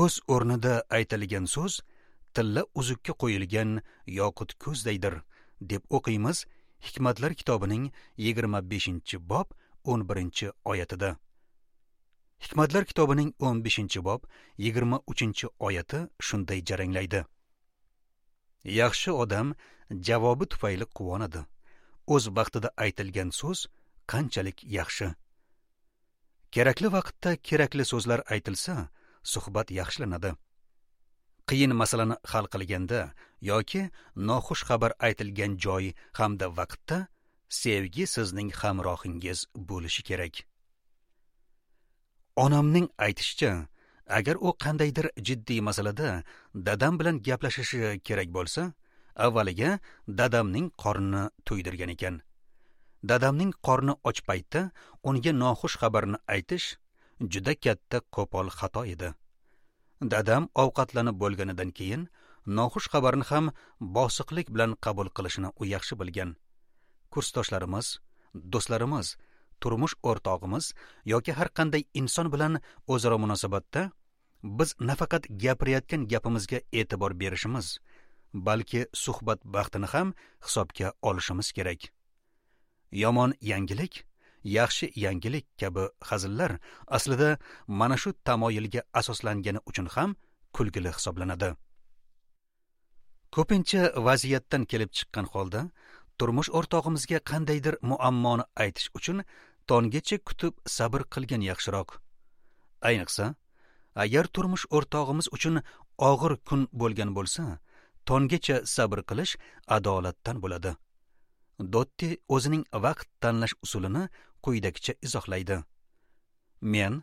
O'z o'rnida aytilgan so'z tilla uzukka qo'yilgan yoqut ko'zdaydir, deb o'qiymiz Hikmatlar kitobining yigirma beshinchi bob o'n birinchi oyatida. Hikmatlar kitobining o'n beshinchi bob yigirma uchinchi oyati shunday jaranglaydi: Yaxshi odam javobi tufayli quvonadi. O'z vaqtida aytilgan so'z qanchalik yaxshi. Kerakli vaqtda kerakli so'zlar aytilsa, suhbat yaxshilanadi. Qiyin masalani hal qilganda yoki noxush xabar aytilgan joy hamda vaqtda sevgi sizning hamrohingiz bo'lishi kerak. Onamning aytishicha, agar u qandaydir jiddiy masalada dadam bilan gaplashishi kerak bo'lsa, avvaliga dadamning qornini to'ydirgan ekan. Dadamning qorni och paytda unga noxush xabarni aytish juda katta qo'pol xato edi. Dadam ovqatlanib bo'lganidan keyin noxush xabarni ham bosiqlik bilan qabul qilishini u yaxshi bilgan. Kursdoshlarimiz, do'stlarimiz, turmush o'rtog'imiz yoki har qanday inson bilan o'zaro munosabatda biz nafaqat gapirayotgan gapimizga e'tibor berishimiz balki suhbat vaqtini ham hisobga olishimiz kerak. Yomon yangilik, yaxshi yangilik kabi hazillar aslida mana shu tamoyilga asoslangani uchun ham kulgili hisoblanadi. Ko'pincha vaziyatdan kelib chiqqan holda turmush o'rtog'imizga qandaydir muammoni aytish uchun tonggacha kutib sabr qilgan yaxshiroq. Ayniqsa, agar turmush o'rtog'imiz uchun og'ir kun bo'lgan bo'lsa, tonggacha sabr qilish adolatdan bo'ladi. Dotti o'zining vaqt tanlash usulini quyidagicha izohlaydi. Men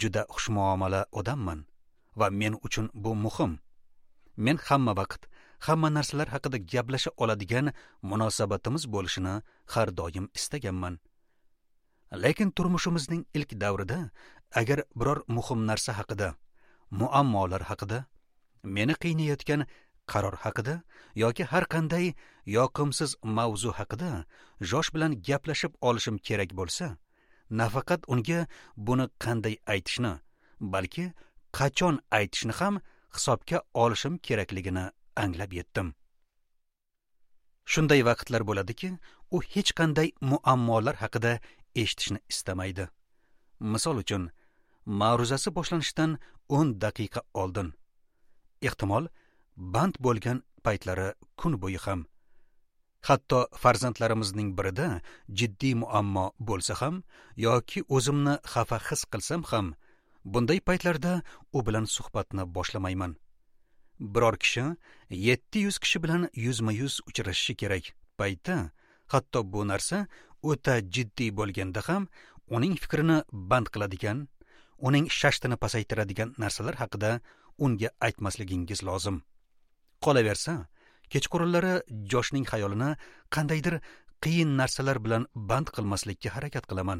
juda xushmuomala odamman va men uchun bu muhim. Men hamma vaqt, hamma narsalar haqida gaplasha oladigan munosabatimiz bo'lishini har doim istaganman. Lekin turmushimizning ilk davrida agar biror muhim narsa haqida, muammolar haqida, meni qiynayotgan qaror haqida yoki har qanday yoqimsiz mavzu haqida Josh bilan gaplashib olishim kerak bo'lsa, nafaqat unga buni qanday aytishni, balki qachon aytishni ham hisobga olishim kerakligini anglab yetdim. Shunday vaqtlar bo'ladiki, u hech qanday muammolar haqida eshitishni istamaydi. Misol uchun, ma'ruzasi boshlanishidan o'n daqiqa oldin, ehtimol band bo'lgan paytlari kun bo'yi ham, hatto farzandlarimizning birida jiddiy muammo bo'lsa ham yoki o'zimni xafa his qilsam ham, bunday paytlarda u bilan suhbatni boshlamayman. Biror kishi yetti yuz kishi bilan yuzma-yuz uchrashishi kerak paytda, hatto bu narsa o'ta jiddiy bo'lganda ham uning fikrini band qiladigan, uning shashtini pasaytiradigan narsalar haqida unga aytmasligingiz lozim. Qolaversa, kechqurunlari Joshning xayolini qandaydir qiyin narsalar bilan band qilmaslikka harakat qilaman,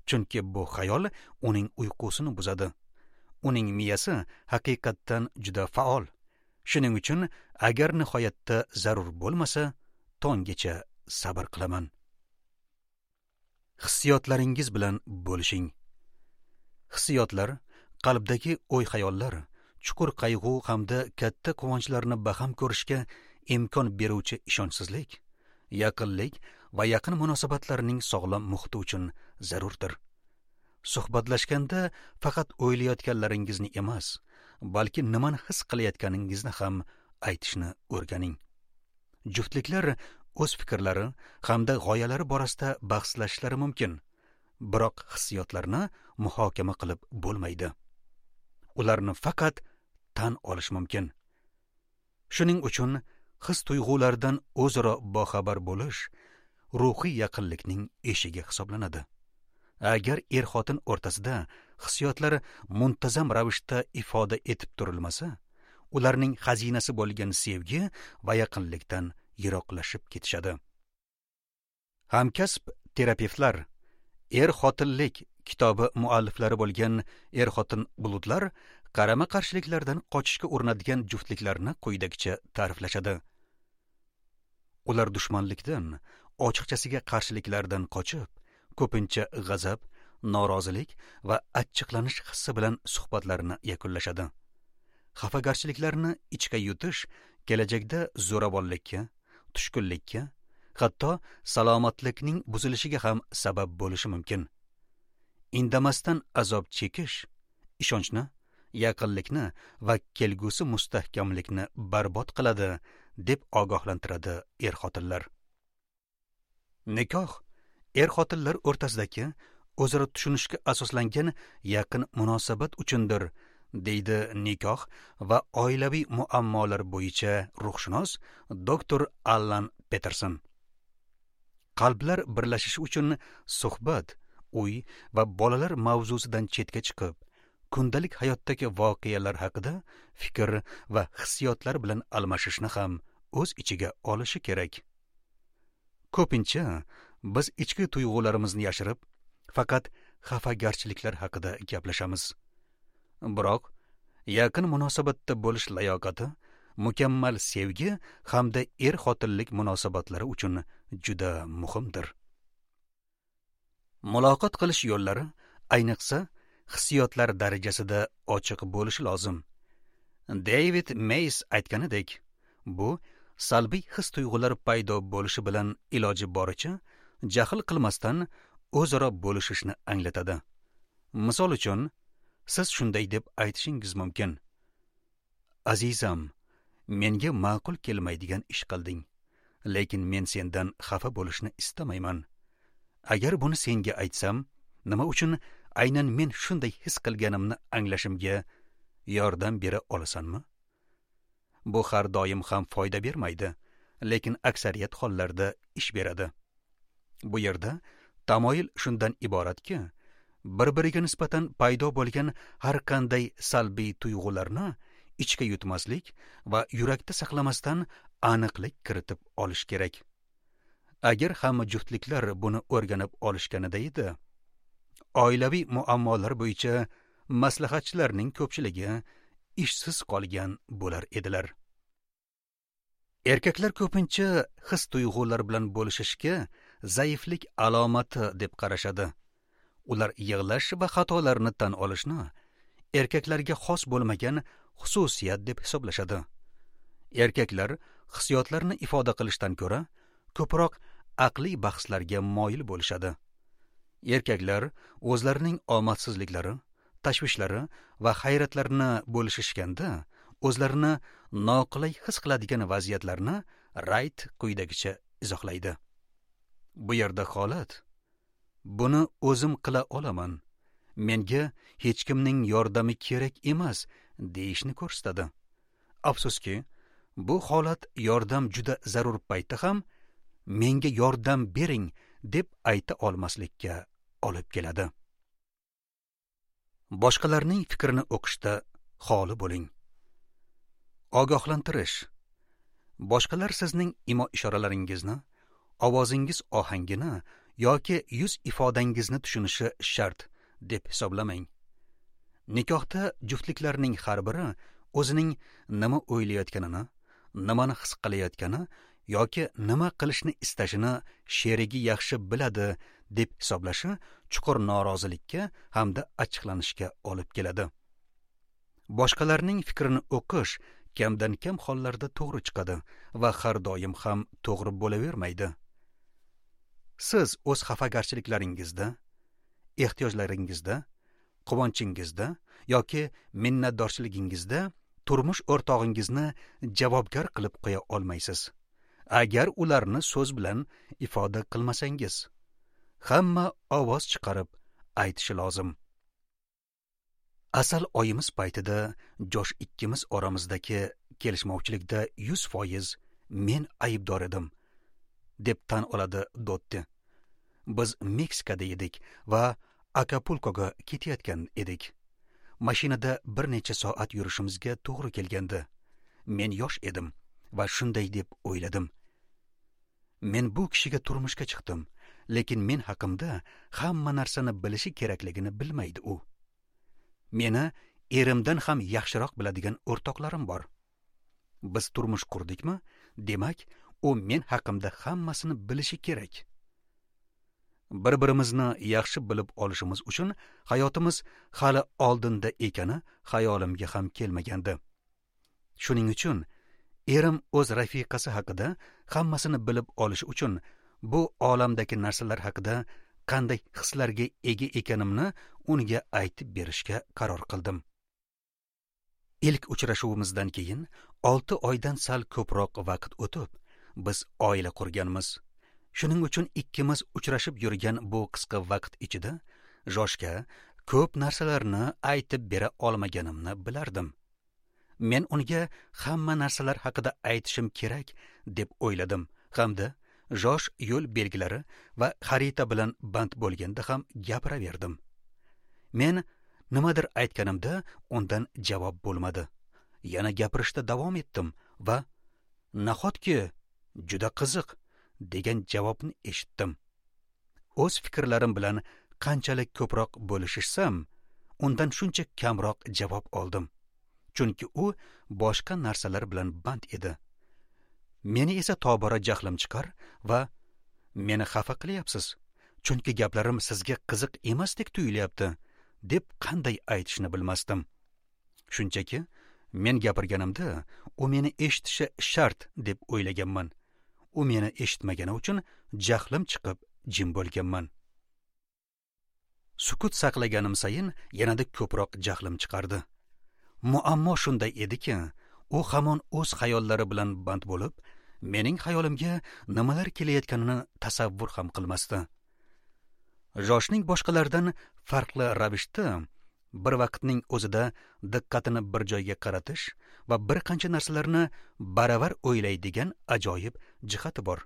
chunki bu xayol uning uyqusini buzadi. Uning miyasi haqiqatdan juda faol. Shuning uchun agar nihoyatda zarur bo'lmasa, tonggacha sabr qilaman. Hissiyotlaringiz bilan bo'lishing. Hissiyotlar, qalbdagi o'y-xayollar, chuqur qayg'u hamda katta quvonchlarni baham ko'rishga imkon beruvchi ishonchsizlik, yaqinlik va yaqin munosabatlarning sog'lom muhiti uchun zarurdir. Suhbatlashganda faqat o'ylayotganlaringizni emas, balki nimani his qilayotganingizni ham aytishni o'rganing. Juftliklar o'z fikrlari hamda g'oyalari borasida bahslashishlari mumkin, biroq hissiyotlarni muhokama qilib bo'lmaydi. Ularni faqat tan olish mumkin. Shuning uchun his tuyg'ulardan o'zaro boxabar bo'lish ruhiy yaqinlikning eshigi hisoblanadi. Agar er-xotin o'rtasida hissiyotlar muntazam ravishda ifoda etib turilmasa, ularning xazinasi bo'lgan sevgi va yaqinlikdan yiroqlashib ketishadi. Hamkasb terapevtlar Er-xotinlik kitobi mualliflari bo'lgan er-xotin bulutlar qarama-qarshiliklardan qochishga urinadigan juftliklarni quyidagicha ta'riflashadi. Ular dushmanlikdan, ochiqchasiga qarshiliklardan qochib, ko'pincha g'azab, norozilik va achchiqlanish hissi bilan suhbatlarini yakunlashadi. Xafagarchiliklarni ichga yutish kelajakda zo'ravonlikka, tushkunlikka, hatto salomatlikning buzilishiga ham sabab bo'lishi mumkin. Indamasdan azob chekish ishonchni, yaqinlikni va kelgusi mustahkamlikni barbod qiladi, deb ogohlantiradi er-xotinlar. Nikoh er-xotinlar o'rtasidagi o'zaro tushunishga asoslangan yaqin munosabat uchundir, deydi nikoh va oilaviy muammolar bo'yicha ruhshunos doktor Allan Peterson. Qalblar birlashishi uchun suhbat, uy va bolalar mavzusidan chetga chiqib, kundalik hayotdagi voqealar haqida fikr va hissiyotlar bilan almashishni ham o'z ichiga olishi kerak. Ko'pincha biz ichki tuyg'ularimizni yashirib, faqat xafagarchiliklar haqida gaplashamiz. Biroq yaqin munosabatda bo'lish layoqati mukammal sevgi hamda er-xotinlik munosabatlari uchun juda muhimdir. Muloqot qilish yo'llari ayniqsa hissiyotlar darajasida ochiq bo'lishi lozim. David Mays aytganidek, bu Salbiy his-tuyg'ular paydo bo'lishi bilan iloji boricha jahl qilmasdan o'zaro bo'lishishni anglatadi. Misol uchun, siz shunday deb aytishingiz mumkin: Azizam, menga ma'qul kelmaydigan ish qilding, lekin men sendan xafa bo'lishni istamayman. Agar buni senga aytsam, nima uchun aynan men shunday his qilganimni anglashimga yordam bera olasanmi? Bu har doim ham foyda bermaydi, lekin aksariyat hollarda ish beradi. Bu yerda tamoyil shundan iboratki, bir-biriga nisbatan paydo bo'lgan har qanday salbiy tuyg'ularni ichga yutmaslik va yurakda saqlamasdan aniqlik kiritib olish kerak. Agar hamma juftliklar buni o'rganib olishganida edi, oilaviy muammolar bo'yicha maslahatchilarning ko'pchiligi ishsiz qolgan bo'lar edilar. Erkaklar ko'pincha his-tuyg'ular bilan bo'lishishga zaiflik alomati deb qarashadi. Ular yig'lash va xatolarni tan olishni erkaklarga xos bo'lmagan xususiyat deb hisoblashadi. Erkaklar hissiyotlarni ifoda qilishdan ko'ra ko'proq aqliy bahslarga moyil bo'lishadi. Erkaklar o'zlarining omadsizliklari, tashvishlari va hayratlarini bo'lishishganda o'zlarini noqulay his qiladigan vaziyatlarni Rayt quyidagicha izohlaydi. Bu yerda holat: buni o'zim qila olaman, menga hech kimning yordami kerak emas deyishni ko'rsatadi. Afsuski, bu holat yordam juda zarur paytda ham menga yordam bering deb ayta olmaslikka olib keladi. Boshqalarning fikrini o'qishda xoli bo'ling. Ogohlantirish. Boshqalar sizning imo ishoralaringizni, ovozingiz ohangini yoki yuz ifodangizni tushunishi shart deb hisoblamang. Nikohda juftliklarning har biri o'zining nima o'ylayotganini, nimani his qilayotgani yoki nima qilishni istashini sherigi yaxshi biladi deb hisoblashi chuqur norozilikka hamda achchiqlanishga olib keladi. Boshqalarning fikrini o'qish kamdan kam hollarda to'g'ri chiqadi va har doim ham to'g'ri bo'lavermaydi. Siz o'z xafagarchiliklaringizda, ehtiyojlaringizda, quvonchingizda yoki minnatdorchiligingizda turmush o'rtog'ingizni javobgar qilib qo'ya olmaysiz, agar ularni so'z bilan ifoda qilmasangiz. Hamma ovoz chiqarib aytishi lozim. Asal oyimiz paytida Josh ikkimiz oramizdagi kelishmovchilikda yuz foiz men aybdor edim, deb tan oladi Dotti. Biz Meksikada edik va Akapulkoga ketayotgan edik. Mashinada bir necha soat yurishimizga to'g'ri kelgandi. Men yosh edim va shunday deb o'yladim: men bu kishiga turmushga chiqdim, lekin men haqimda hamma narsani bilishi kerakligini bilmaydi u. Meni erimdan ham yaxshiroq biladigan o'rtoqlarim bor. Biz turmush qurdikmi, demak, u men haqimda hammasini bilishi kerak. Bir-birimizni yaxshi bilib olishimiz uchun hayotimiz hali oldinda ekani xayolimga ham kelmagandi. Shuning uchun erim o'z rafiqasi haqida hammasini bilib olishi uchun bu olamdagi narsalar haqida qanday hislarga ega ekanimni unga aytib berishga qaror qildim. Ilk uchrashuvimizdan keyin olti oydan sal ko'proq vaqt o'tib, biz oila qurganmiz. Shuning uchun ikkimiz uchrashib yurgan bu qisqa vaqt ichida Joshga ko'p narsalarni aytib bera olmaganimni bilardim. Men unga hamma narsalar haqida aytishim kerak deb o'yladim hamda Josh yo'l belgilari va xarita bilan band bo'lganda ham gapiraverdim. Men nimadir aytganimda undan javob bo'lmadi. Yana gapirishda davom etdim va nahotki juda qiziq degan javobni eshitdim. O'z fikrlarim bilan qanchalik ko'proq bo'lishsam, undan shuncha kamroq javob oldim. Chunki u boshqa narsalar bilan band edi. Meni esa tobora jahlim chiqar va meni xafa qilyapsiz, chunki gaplarim sizga qiziq emasdek tuyulyapti, deb qanday aytishni bilmasdim. Shunchaki Men gapirganimda u meni eshitishi shart deb o'ylaganman. U meni eshitmagani uchun jahlim chiqib jim bo'lganman. Sukut saqlaganim sayin yanada ko'proq jahlim chiqardi. Muammo shunday ediki, u hamon o'z xayollari bilan band bo'lib, mening xayolimga nimalar kelayotganini tasavvur ham qilmasdi. Joshning boshqalardan farqli ravishda bir vaqtning o'zida diqqatini bir joyga qaratish va bir qancha narsalarni baravar o'ylaydigan ajoyib jihati bor.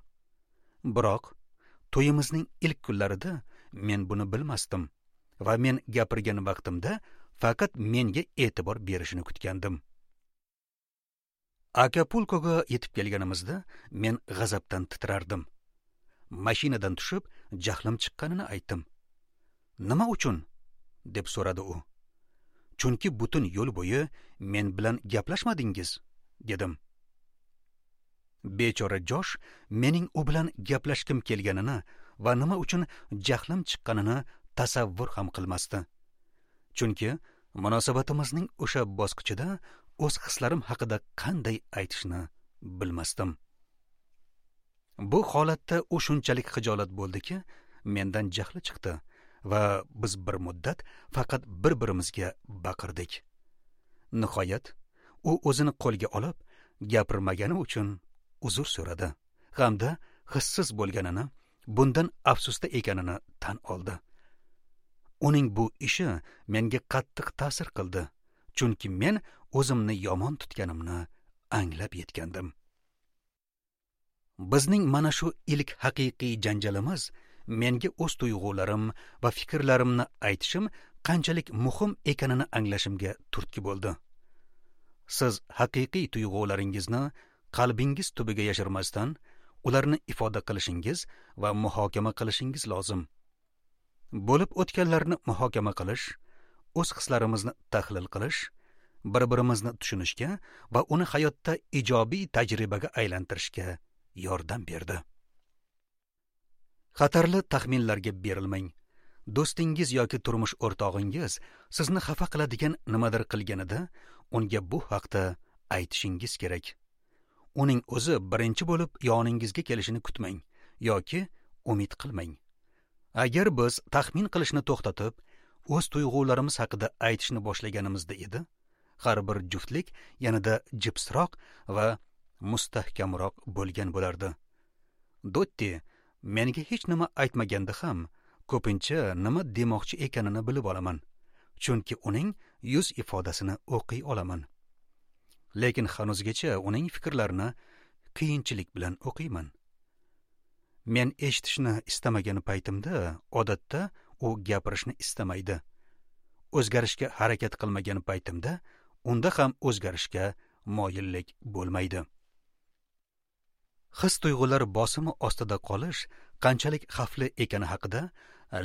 Biroq to'yimizning ilk kunlarida men buni bilmasdim va men gapirgan vaqtimda faqat menga e'tibor berishini kutgandim. Akapulkoga yetib kelganimizda men g'azabdan titrardim. Mashinadan tushib, jahlim chiqqanini aytdim. "Nima uchun?" deb so'radi u. "Chunki butun yo'l bo'yi men bilan gaplashmadingiz", dedim. Bechora Josh mening u bilan gaplashgim kelganini va nima uchun jahlim chiqqanini tasavvur ham qilmasdi. Chunki munosabatimizning o'sha bosqichida o'z hislarim haqida qanday aytishni bilmasdim. Bu holatda u shunchalik xijolat bo'ldiki, mendan jahli chiqdi va biz bir muddat faqat bir-birimizga baqirdik. Nihoyat u o'zini qo'lga olib, gapirmagani uchun uzr so'radi hamda hissiz bo'lganini, bundan afsusda ekanini tan oldi. Uning bu ishi menga qattiq ta'sir qildi, chunki men o'zimni yomon tutganimni anglab yetgandim. Bizning mana shu ilk haqiqiy janjalimiz menga o'z tuyg'ularim va fikrlarimni aytishim qanchalik muhim ekanini anglashimga turtki bo'ldi. Siz haqiqiy tuyg'ularingizni qalbingiz tubiga yashirmasdan, ularni ifoda qilishingiz va muhokama qilishingiz lozim. Bo'lib o'tganlarni muhokama qilish, o'z hislarimizni tahlil qilish, bir-birimizni tushunishga va uni hayotda ijobiy tajribaga aylantirishga yordam berdi. Xatarli taxminlarga berilmang. Do'stingiz yoki turmush o'rtog'ingiz sizni xafa qiladigan nimadir qilganida, unga bu haqda aytishingiz kerak. Uning o'zi birinchi bo'lib yoningizga kelishini kutmang yoki umid qilmang. Agar biz taxmin qilishni to'xtatib, o'z tuyg'ularimiz haqida aytishni boshlaganimizda edi, har bir juftlik yanada jipsroq va mustahkamroq bo'lgan bo'lardi. Dotti menga hech nima aytmaganda ham ko'pincha nima demoqchi ekanini bilib olaman, chunki uning yuz ifodasini o'qiy olaman. Lekin hanuzgacha uning fikrlarini qiyinchilik bilan o'qiyman. Men eshitishni istamagan paytimda odatda u gapirishni istamaydi. O'zgarishga harakat qilmagan paytimda unda ham o'zgarishga moyillik bo'lmaydi. His tuyg'ular bosimi ostida qolish qanchalik xavfli ekani haqida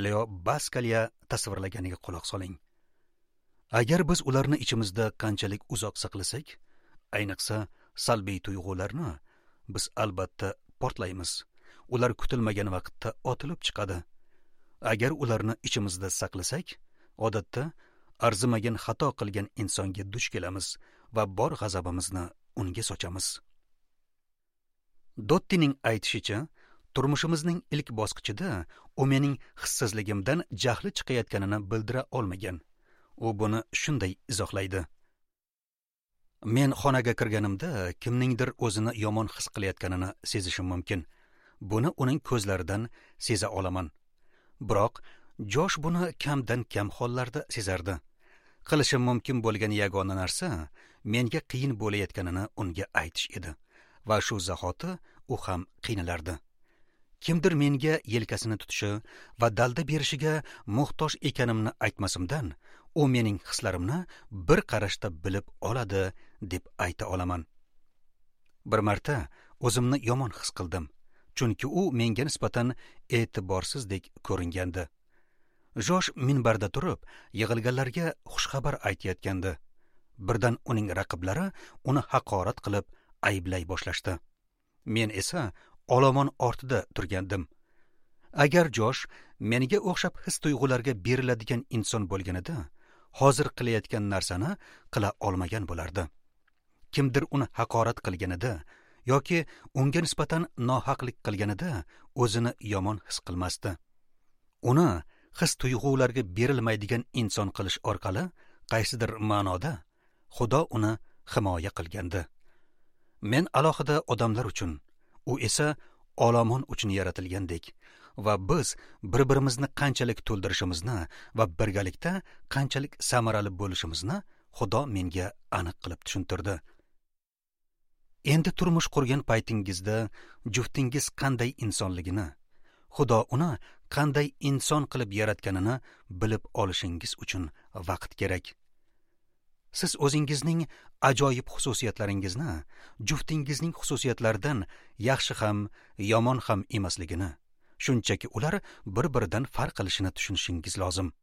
Leo Baskalya tasvirlaganiga quloq soling. Agar biz ularni ichimizda qanchalik uzoq saqlasak, ayniqsa salbiy tuyg'ularni, biz albatta portlaymiz. Ular kutilmagan vaqtda otilib chiqadi. Agar ularni ichimizda saqlasak, odatda arzimagan xato qilgan insonga duch kelamiz va bor g'azabimizni unga sochamiz. Dottining aytishicha, turmushimizning ilk bosqichida u mening hissizligimdan jahli chiqayotganini bildira olmagan. U buni shunday izohlaydi: Men xonaga kirganimda kimningdir o'zini yomon his qilayotganini sezishim mumkin. Buni uning ko'zlaridan seza olaman. Biroq Josh buni kamdan kam hollarda sezardi. Qilishim mumkin bo'lgan yagona narsa menga qiyin bo'layotganini unga aytish edi va shu zahoti u ham qiynalardi. Kimdir menga yelkasini tutishi va dalda berishiga muhtoj ekanimni aytmasimdan, u mening hislarimni bir qarashda bilib oladi deb ayta olaman. Bir marta o'zimni yomon his qildim, chunki u menga nisbatan e'tiborsizdek ko'ringandi. Josh minbarda turib, yig'ilganlarga xushxabar aytayotgandi. Birdan uning raqiblari uni haqorat qilib ayblay boshlashdi. Men esa olomon ortida turgandim. Agar Josh menga o'xshab his tuyg'ularga beriladigan inson bo'lganida, hozir qilayotgan narsani qila olmagan bo'lardi. Kimdir uni haqorat qilganida yoki unga nisbatan nohaqlik qilganida o'zini yomon his qilmasdi. Uni his tuyg'ularga berilmaydigan inson qilish orqali qaysidir ma'noda Xudo uni himoya qilgandi. Men alohida odamlar uchun, u esa olomon uchun yaratilgandek va biz bir-birimizni qanchalik to'ldirishimizni va birgalikda qanchalik samarali bo'lishimizni Xudo menga aniq qilib tushuntirdi. Endi turmush qurgan paytingizda juftingiz qanday insonligini, Xudo uni qanday inson qilib yaratganini bilib olishingiz uchun vaqt kerak. Siz o'zingizning ajoyib xususiyatlaringizni juftingizning xususiyatlaridan yaxshi ham, yomon ham emasligini, shunchaki ular bir-biridan farq qilishini tushunishingiz lozim.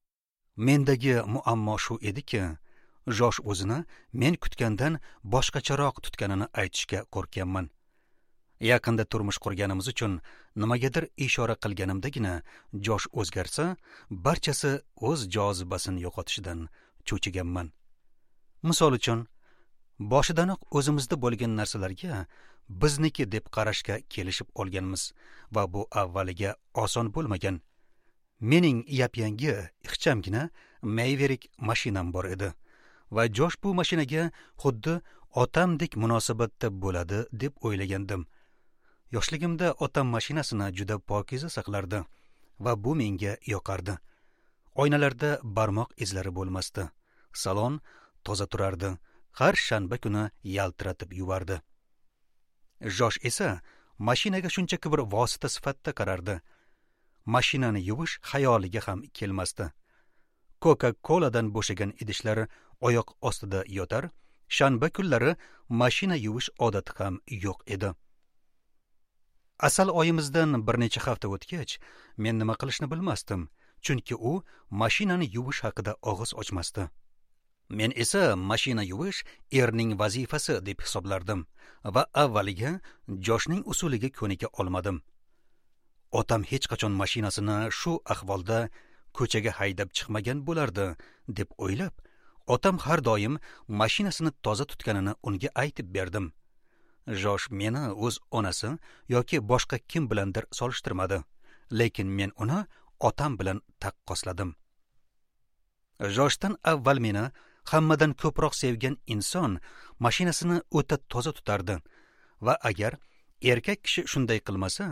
Mendagi muammo shu ediki, Josh o'zini men kutgandan boshqacharoq tutganini aytishga qo'rqyapman. Yaqinda turmush qurganimiz uchun nimagadir ishora qilganimdagina Josh o'zgarsa, barchasi o'z jozibasini yo'qotishidan cho'chiganman. Misol uchun, boshidanoq o'zimizda bo'lgan narsalarga bizniki deb qarashga kelishib olganmiz va bu avvaliga oson bo'lmagan. Mening yap-yangi, ixchamgina Maverick mashinam bor edi va Josh bu mashinaga xuddi otamdek munosabatda bo'ladi deb o'ylagandim. Yoshligimda otam mashinasini juda pokiza saqlardi va bu menga yoqardi. Oynalarda barmoq izlari bo'lmasdi. Salon toza turardi. Har shanba kuni yaltiratib yuvardi. Josh esa mashinaga shunchaki bir vosita sifatida qarardi. Mashinani yuvish xayoliga ham kelmasdi. Coca-Cola'dan bo'shagan idishlar oyoq ostida yotar, shanba kunlari mashina yuvish odati ham yo'q edi. Asal oyimizdan bir necha hafta o'tgach, men nima qilishni bilmasdim, chunki u mashinani yuvish haqida og'iz ochmasdi. Men esa mashina yuvish erning vazifasi deb hisoblardim va avvaliga Joshning usuliga ko'nika olmadim. Otam hech qachon mashinasini shu ahvolda ko'chaga haydab chiqmagan bo'lardi deb o'ylab, otam har doim mashinasini toza tutganini unga aytib berdim. Josh meni o'z onasi yoki boshqa kim bilandir solishtirmadi, lekin men uni otam bilan taqqosladim. Joshdan avval meni hammadan ko'proq sevgan inson mashinasini o'ta toza tutardi va agar erkak kishi shunday qilmasa,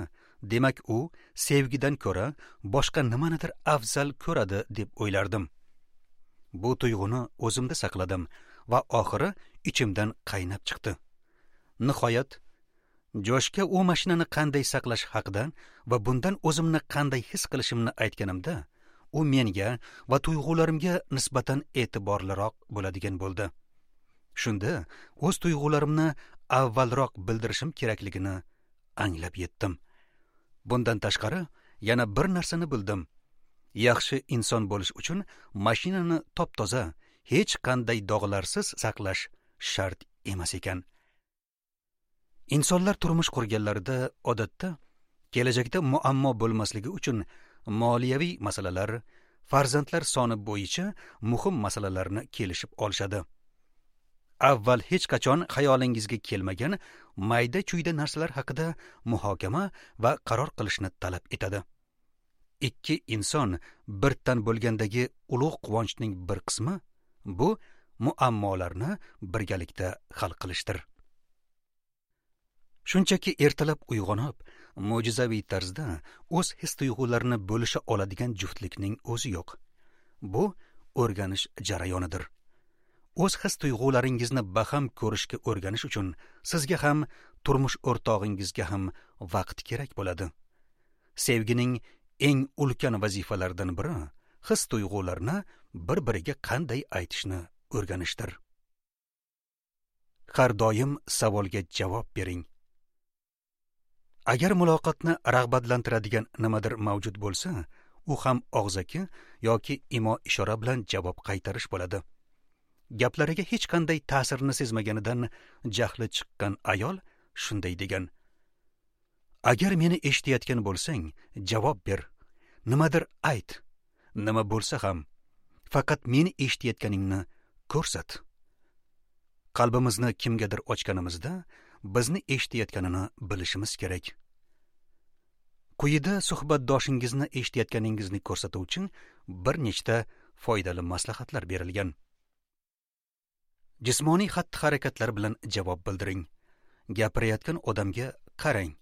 demak u sevgidan ko'ra boshqa nimanidir afzal ko'radi deb o'ylardim. Bu tuyg'uni o'zimda saqladim va oxiri ichimdan qaynab chiqdi. Nihoyat, Joshga u mashinani qanday saqlash haqida va bundan o'zimni qanday his qilishimni aytganimda, u menga va tuyg'ularimga nisbatan e'tiborliroq bo'ladigan bo'ldi. Shunda o'z tuyg'ularimni avvalroq bildirishim kerakligini anglab yetdim. Bundan tashqari yana bir narsani bildim. Yaxshi inson bo'lish uchun mashinani top-toza, hech qanday dog'larsiz saqlash shart emas ekan. Insonlar turmush qurganlarida odatda kelajakda muammo bo'lmasligi uchun moliyaviy masalalar, farzandlar soni bo'yicha muhim masalalarni kelishib olishadi. Avval hech qachon xayolingizga kelmagan mayda-chuyda narsalar haqida muhokama va qaror qilishni talab etadi. Ikki inson bir tan bo'lgandagi ulug' quvonchning bir qismi bu muammolarni birgalikda hal qilishdir. Shunchaki ertalab uyg'onib, mo'jizaviy tarzda o'z his-tuyg'ularini bo'lisha oladigan juftlikning o'zi yo'q. Bu o'rganish jarayonidir. O'z his-tuyg'ularingizni baham ko'rishga o'rganish uchun sizga ham, turmush o'rtog'ingizga ham vaqt kerak bo'ladi. Sevgining eng ulkan vazifalaridan biri his-tuyg'ularni bir-biriga qanday aytishni o'rganishdir. Har doim savolga javob bering. Agar muloqotni rag'batlantiradigan nimadir mavjud bo'lsa, u ham og'zaki yoki imo ishora bilan javob qaytarish bo'ladi. Gaplariga hech qanday ta'sirini sezmaganidan jahli chiqqan ayol shunday degan: Agar meni eshitayotgan bo'lsang, javob ber. Nimadir ayt. Nima bo'lsa ham, faqat meni eshitayotganingni ko'rsat. Qalbimizni kimgadir ochganimizda bizni eshitayotganini bilishimiz kerak. Quyida suhbatdoshingizni eshitayotganingizni ko'rsatuvchi bir nechta foydali maslahatlar berilgan. Jismoniy xatti-harakatlar bilan javob bildiring. Gapirayotgan odamga qarang.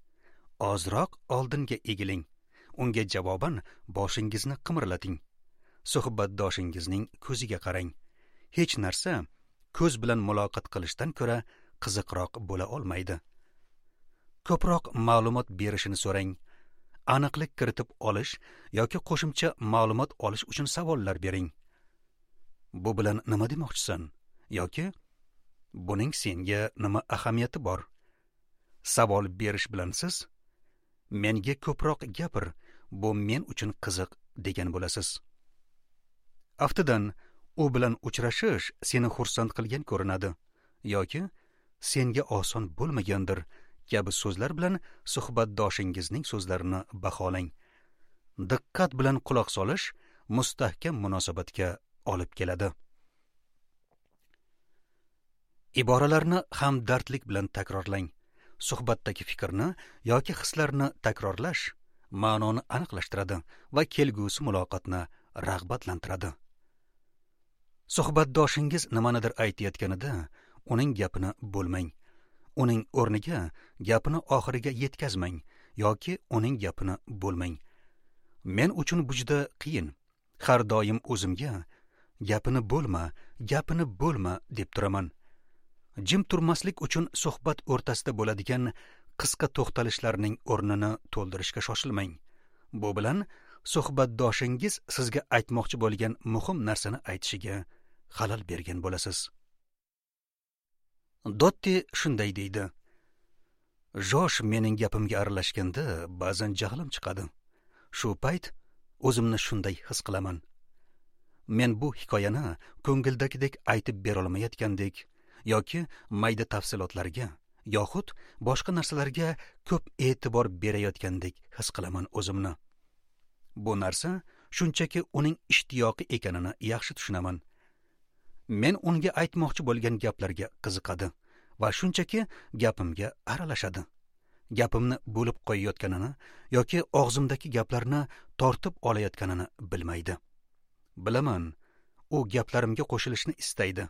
Ozroq oldinga egiling. Unga javoban boshingizni qimirlating. Suhbatdoshingizning ko'ziga qarang. Hech narsa ko'z bilan muloqot qilishdan ko'ra qiziqroq bo'la olmaydi. Ko'proq ma'lumot berishini so'rang. Aniqlik kiritib olish yoki qo'shimcha ma'lumot olish uchun savollar bering. Bu bilan nima demoqchisan? Yoki buning senga nima ahamiyati bor? Savol berish bilan siz menga ko'proq gapir, bu men uchun qiziq degan bo'lasiz. Aftidan, u bilan uchrashish seni xursand qilgan ko'rinadi yoki senga oson bo'lmagandir kabi so'zlar bilan suhbatdoshingizning so'zlarini baholang. Diqqat bilan quloq solish mustahkam munosabatga olib keladi. Iboralarni hamdardlik bilan takrorlang. Suhbatdagi fikrni yoki hislarni takrorlash ma'noni aniqlashtiradi va kelgusi muloqotni rag'batlantiradi. Suhbatdoshingiz nimanidir aytayotganida uning gapini bo'lmang. Uning o'rniga gapini oxiriga yetkazmang yoki uning gapini bo'lmang. Men uchun bu juda qiyin. Har doim o'zimga gapini bo'lma, gapini bo'lma deb turaman. Jim turmaslik uchun suhbat o'rtasida bo'ladigan qisqa to'xtalishlarning o'rnini to'ldirishga shoshilmang. Bu bilan suhbatdoshingiz sizga aytmoqchi bo'lgan muhim narsani aytishiga xalal bergan bo'lasiz. Dotti shunday deydi: Josh mening gapimga aralashganda ba'zan jahlim chiqadi. Shu payt o'zimni shunday his qilaman. Men bu hikoyani ko'ngildagidek aytib bera olmayotgandek yoki mayda tafsilotlarga yoxud boshqa narsalarga ko'p e'tibor berayotgandek his qilaman o'zimni. Bu narsa shunchaki uning ishtiyoqi ekanini yaxshi tushunaman. Men unga aytmoqchi bo'lgan gaplarga qiziqadi va shunchaki gapimga aralashadi. Gapimni bo'lib qo'yayotganini yoki og'zimdagi gaplarni tortib olayotganini bilmaydi. Bilaman, u gaplarimga qo'shilishni istaydi.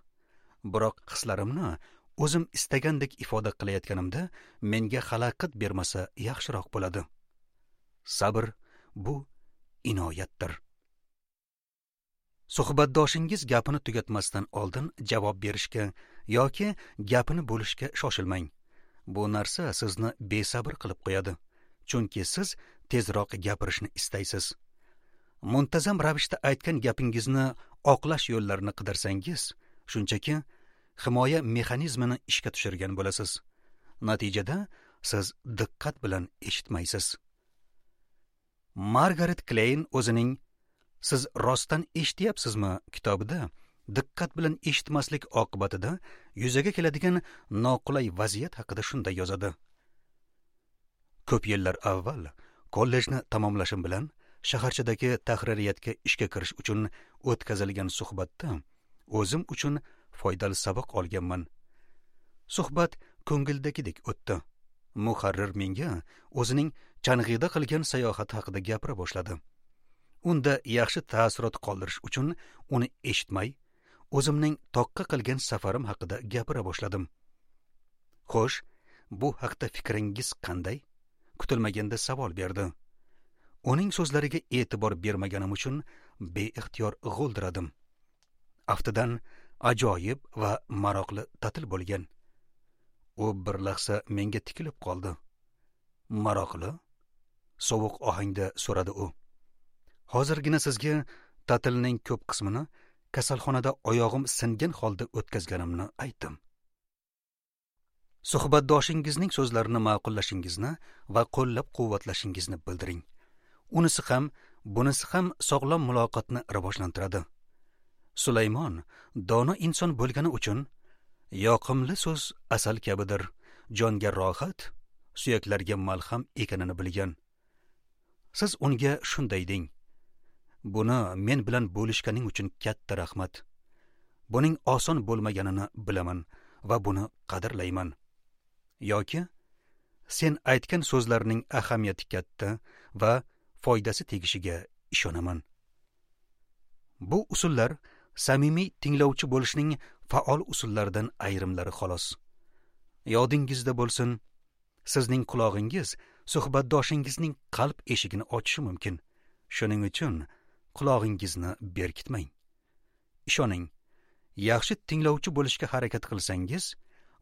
Biroq hislarimni o'zim istagandek ifoda qilayotganimda menga xalaqit bermasa yaxshiroq bo'ladi. Sabr bu inoyatdir. Suhbatdoshingiz gapini tugatmasdan oldin javob berishga yoki gapini bo'lishga shoshilmang. Bu narsa sizni besabr qilib qo'yadi, chunki siz tezroq gapirishni istaysiz. Muntazam ravishda aytgan gapingizni oqlash yo'llarini qidirsangiz, shunchaki himoya mexanizmini ishga tushirgan bo'lasiz. Natijada siz diqqat bilan eshitmaysiz. Margaret Klein o'zining Siz rostdan eshityapsizmi kitobida diqqat bilan eshitmaslik oqibatida yuzaga keladigan noqulay vaziyat haqida shunday yozadi. Ko'p yillar avval kollejni tamomlashim bilan shaharchadagi tahririyatga ishga kirish uchun o'tkazilgan suhbatda o'zim uchun foydali saboq olganman. Suhbat ko'ngildagidek o'tdi. Muharrir menga o'zining Chang'ida qilgan sayohati haqida gapira boshladi. Unda yaxshi taassurot qoldirish uchun uni eshitmay, o'zimning toqqa qilgan safarim haqida gapira boshladim. Xo'sh, bu haqda fikringiz qanday? Kutilmaganda savol berdi. Uning so'zlariga e'tibor bermaganim uchun beixtiyor g'o'ldiradim. Aftidan ajoyib va maroqli ta'til bo'lgan. U bir lahza menga tikilib qoldi. Maroqli? Sovuq ohangda so'radi u. Hozirgina sizga ta'tilning ko'p qismini kasalxonada oyog'im singan holda o'tkazganimni aytdim. Suhbatdoshingizning so'zlarini ma'qullashingizni va qo'llab-quvvatlashingizni bildiring. Unisi ham, bunisi ham sog'lom muloqotni rivojlantiradi. Sulaymon dono inson bo'lgani uchun yoqimli so'z asal kabidir, jonga rohat, suyaklarga malham ekanini bilgan. Siz unga shunday deng: Buni men bilan bo'lishganing uchun katta rahmat. Buning oson bo'lmaganini bilaman va buni qadrlayman. Yoki sen aytgan so'zlarning ahamiyati katta va foydasi tegishiga ishonaman. Bu usullar samimiy tinglovchi bo'lishning faol usullaridan ayrimlari xolos. Yodingizda bo'lsin, sizning qulog'ingiz suhbatdoshingizning qalb eshigini ochishi mumkin. Shuning uchun qulog'ingizni berkitmang. Ishoning, yaxshi tinglovchi bo'lishga harakat qilsangiz,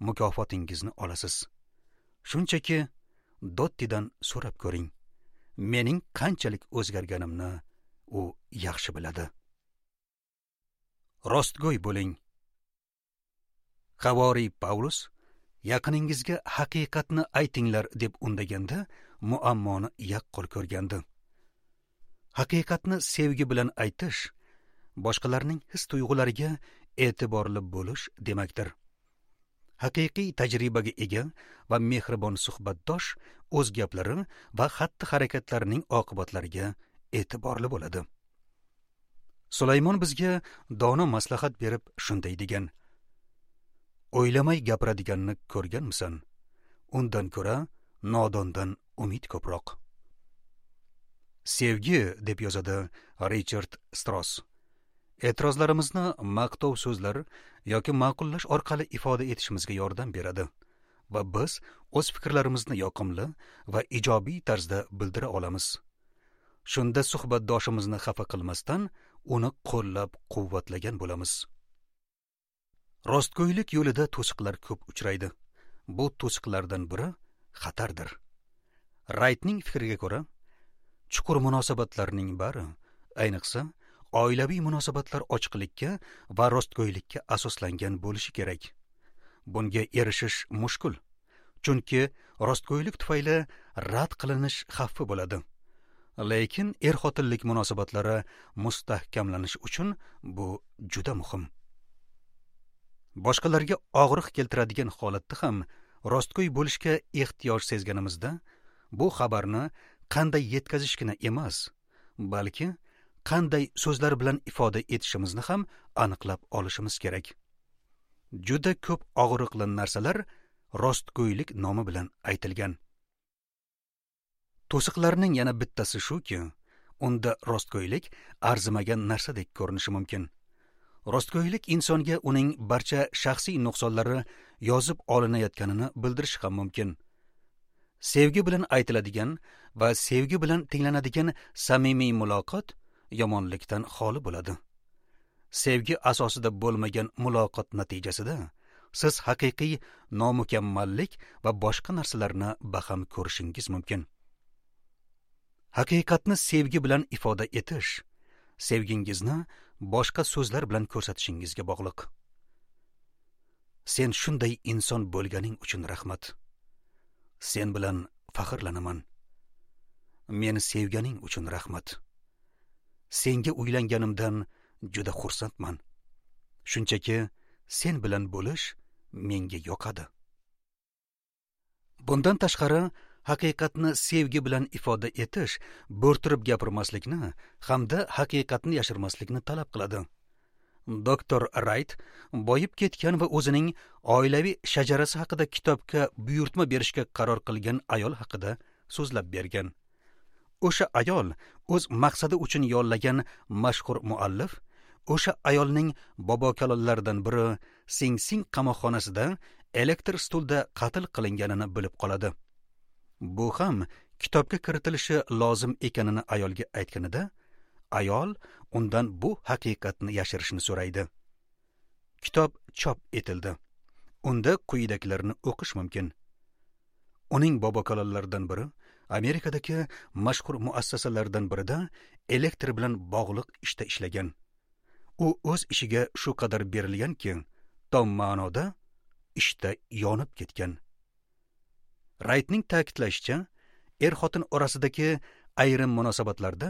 mukofotingizni olasiz. Shunchaki Dottidan so'rab ko'ring. Mening qanchalik o'zgarganimni u yaxshi biladi. Rostgo'y bo'ling. Havoriy Pavlus yaqiningizga haqiqatni aytinglar deb undaganda muammoni yaqqol ko'rgandi. Haqiqatni sevgi bilan aytish boshqalarning his-tuyg'ulariga e'tiborli bo'lish demakdir. Haqiqiy tajribaga ega va mehribon suhbatdosh o'z gaplari va xatti-harakatlarining oqibatlariga e'tiborli bo'ladi. Sulaymon bizga dono maslahat berib shunday degan: O'ylamay gapiradiganni ko'rganmisan? Undan ko'ra nodondan umid ko'proq. Sevgi, deb yozadi Richard Strauss, e'tirozlarimizni maqtov so'zlar yoki ma'qullash orqali ifoda etishimizga yordam beradi va biz o'z fikrlarimizni yoqimli va ijobiy tarzda bildira olamiz. Shunda suhbatdoshimizni xafa qilmasdan uni qo'llab-quvvatlagan bo'lamiz. Rostgo'ylik yo'lida to'siqlar ko'p uchraydi. Bu to'siqlardan biri xatardir. Raytning fikriga ko'ra, chuqur munosabatlarning bari, ayniqsa oilaviy munosabatlar ochiqlikka va rostgo'ylikka asoslangan bo'lishi kerak. Bunga erishish mushkul, chunki rostgo'ylik tufayli rad qilinish xavfi bo'ladi. Lekin er-xotinlik munosabatlari mustahkamlanishi uchun bu juda muhim. Boshqalarga og'riq keltiradigan holatda ham rostgo'y bo'lishga ehtiyoj sezganimizda, bu xabarni qanday yetkazishgina emas, balki qanday so'zlar bilan ifoda etishimizni ham aniqlab olishimiz kerak. Juda ko'p og'riqli narsalar rostgo'ylik nomi bilan aytilgan. To'siqlarning yana bittasi shuki, unda rostgo'ylik arzimagan narsadek ko'rinishi mumkin. Rostgo'ylik insonga uning barcha shaxsiy nuqsonlari yozib olinayotganini bildirishi ham mumkin. Sevgi bilan aytiladigan va sevgi bilan tinglanadigan samimiy muloqot yomonlikdan xoli bo'ladi. Sevgi asosida bo'lmagan muloqot natijasida siz haqiqiy nomukammallik va boshqa narsalarni baham ko'rishingiz mumkin. Haqiqatni sevgi bilan ifoda etish, sevgingizni boshqa so'zlar bilan ko'rsatishingizga bog'liq. Sen shunday inson bo'lganing uchun rahmat. Sen bilan faxrlanaman. Meni sevganing uchun rahmat. Senga uylanganimdan juda xursandman. Shunchaki sen bilan bo'lish menga yoqadi. Bundan tashqari, haqiqatni sevgi bilan ifoda etish bo'rttirib gapirmaslikni hamda haqiqatni yashirmaslikni talab qiladi. Doktor Rayt boyib ketgan va o'zining oilaviy shajarasi haqida kitobga buyurtma berishga qaror qilgan ayol haqida so'zlab bergan. O'sha ayol o'z maqsadi uchun yollagan mashhur muallif o'sha ayolning bobokalonlaridan biri Sing Sing qamoqxonasida elektr stulda qatl qilinganini bilib qoladi. Bu ham kitobga kiritilishi lozim ekanini ayolga aytganida, ayol undan bu haqiqatni yashirishni so'raydi. Kitob chop etildi. Unda quyidagilarni o'qish mumkin. Uning bobokalonlaridan biri Amerikadagi mashhur muassasalardan birida elektr bilan bog'liq ishda ishlagan. U o'z ishiga shu qadar berilganki, tom ma'noda ishda yonib ketgan. Raytning ta'kidlashicha, er-xotin orasidagi ayrim munosabatlarda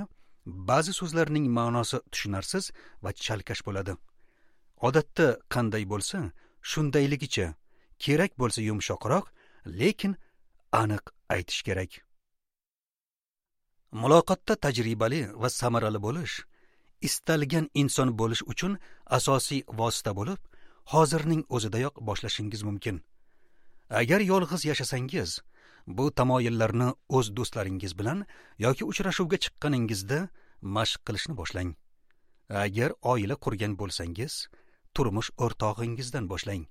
ba'zi so'zlarning ma'nosi tushunarsiz va chalkash bo'ladi. Odatda qanday bo'lsa, shundayligicha, kerak bo'lsa yumshoqroq, lekin aniq aytish kerak. Muloqotda tajribali va samarali bo'lish, istalgan inson bo'lish uchun asosiy vosita bo'lib, hozirning o'zidayoq boshlashingiz mumkin. Agar yolg'iz yashasangiz, bu tamoyillarni o'z do'stlaringiz bilan yoki uchrashuvga chiqqaningizda mashq qilishni boshlang. Agar oila qurgan bo'lsangiz, turmush o'rtog'ingizdan boshlang.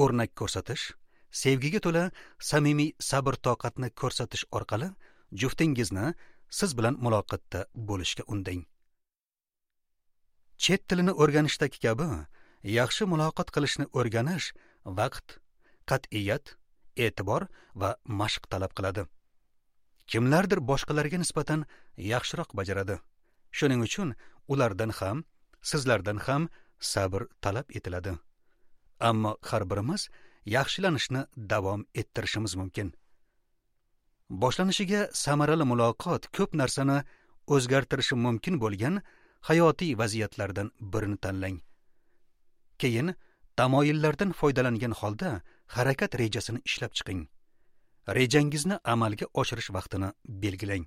O'rnak ko'rsatish, sevgiga to'la samimiy sabr-toqatni ko'rsatish orqali juftingizni siz bilan muloqotda bo'lishga undang. Chet tilini o'rganishdagi kabi yaxshi muloqot qilishni o'rganish vaqt, qat'iyat, e'tibor va mashq talab qiladi. Kimlardir boshqalarga nisbatan yaxshiroq bajaradi. Shuning uchun ulardan ham, sizlardan ham sabr talab etiladi. Ammo har birimiz yaxshilanishni davom ettirishimiz mumkin. Boshlanishiga samarali muloqot ko'p narsani o'zgartirishi mumkin bo'lgan hayotiy vaziyatlardan birini tanlang. Keyin tamoyillardan foydalangan holda harakat rejasini ishlab chiqing. Rejangizni amalga oshirish vaqtini belgilang.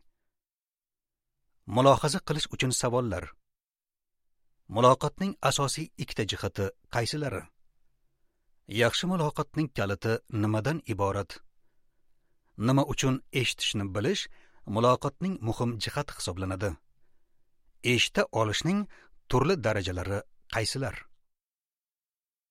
Mulohaza qilish uchun savollar. Muloqotning asosiy ikkita jihati qaysilari? Yaxshi muloqotning kaliti nimadan iborat? Nima uchun eshitishni bilish muloqotning muhim jihati hisoblanadi? Eshita olishning turli darajalari qaysilar?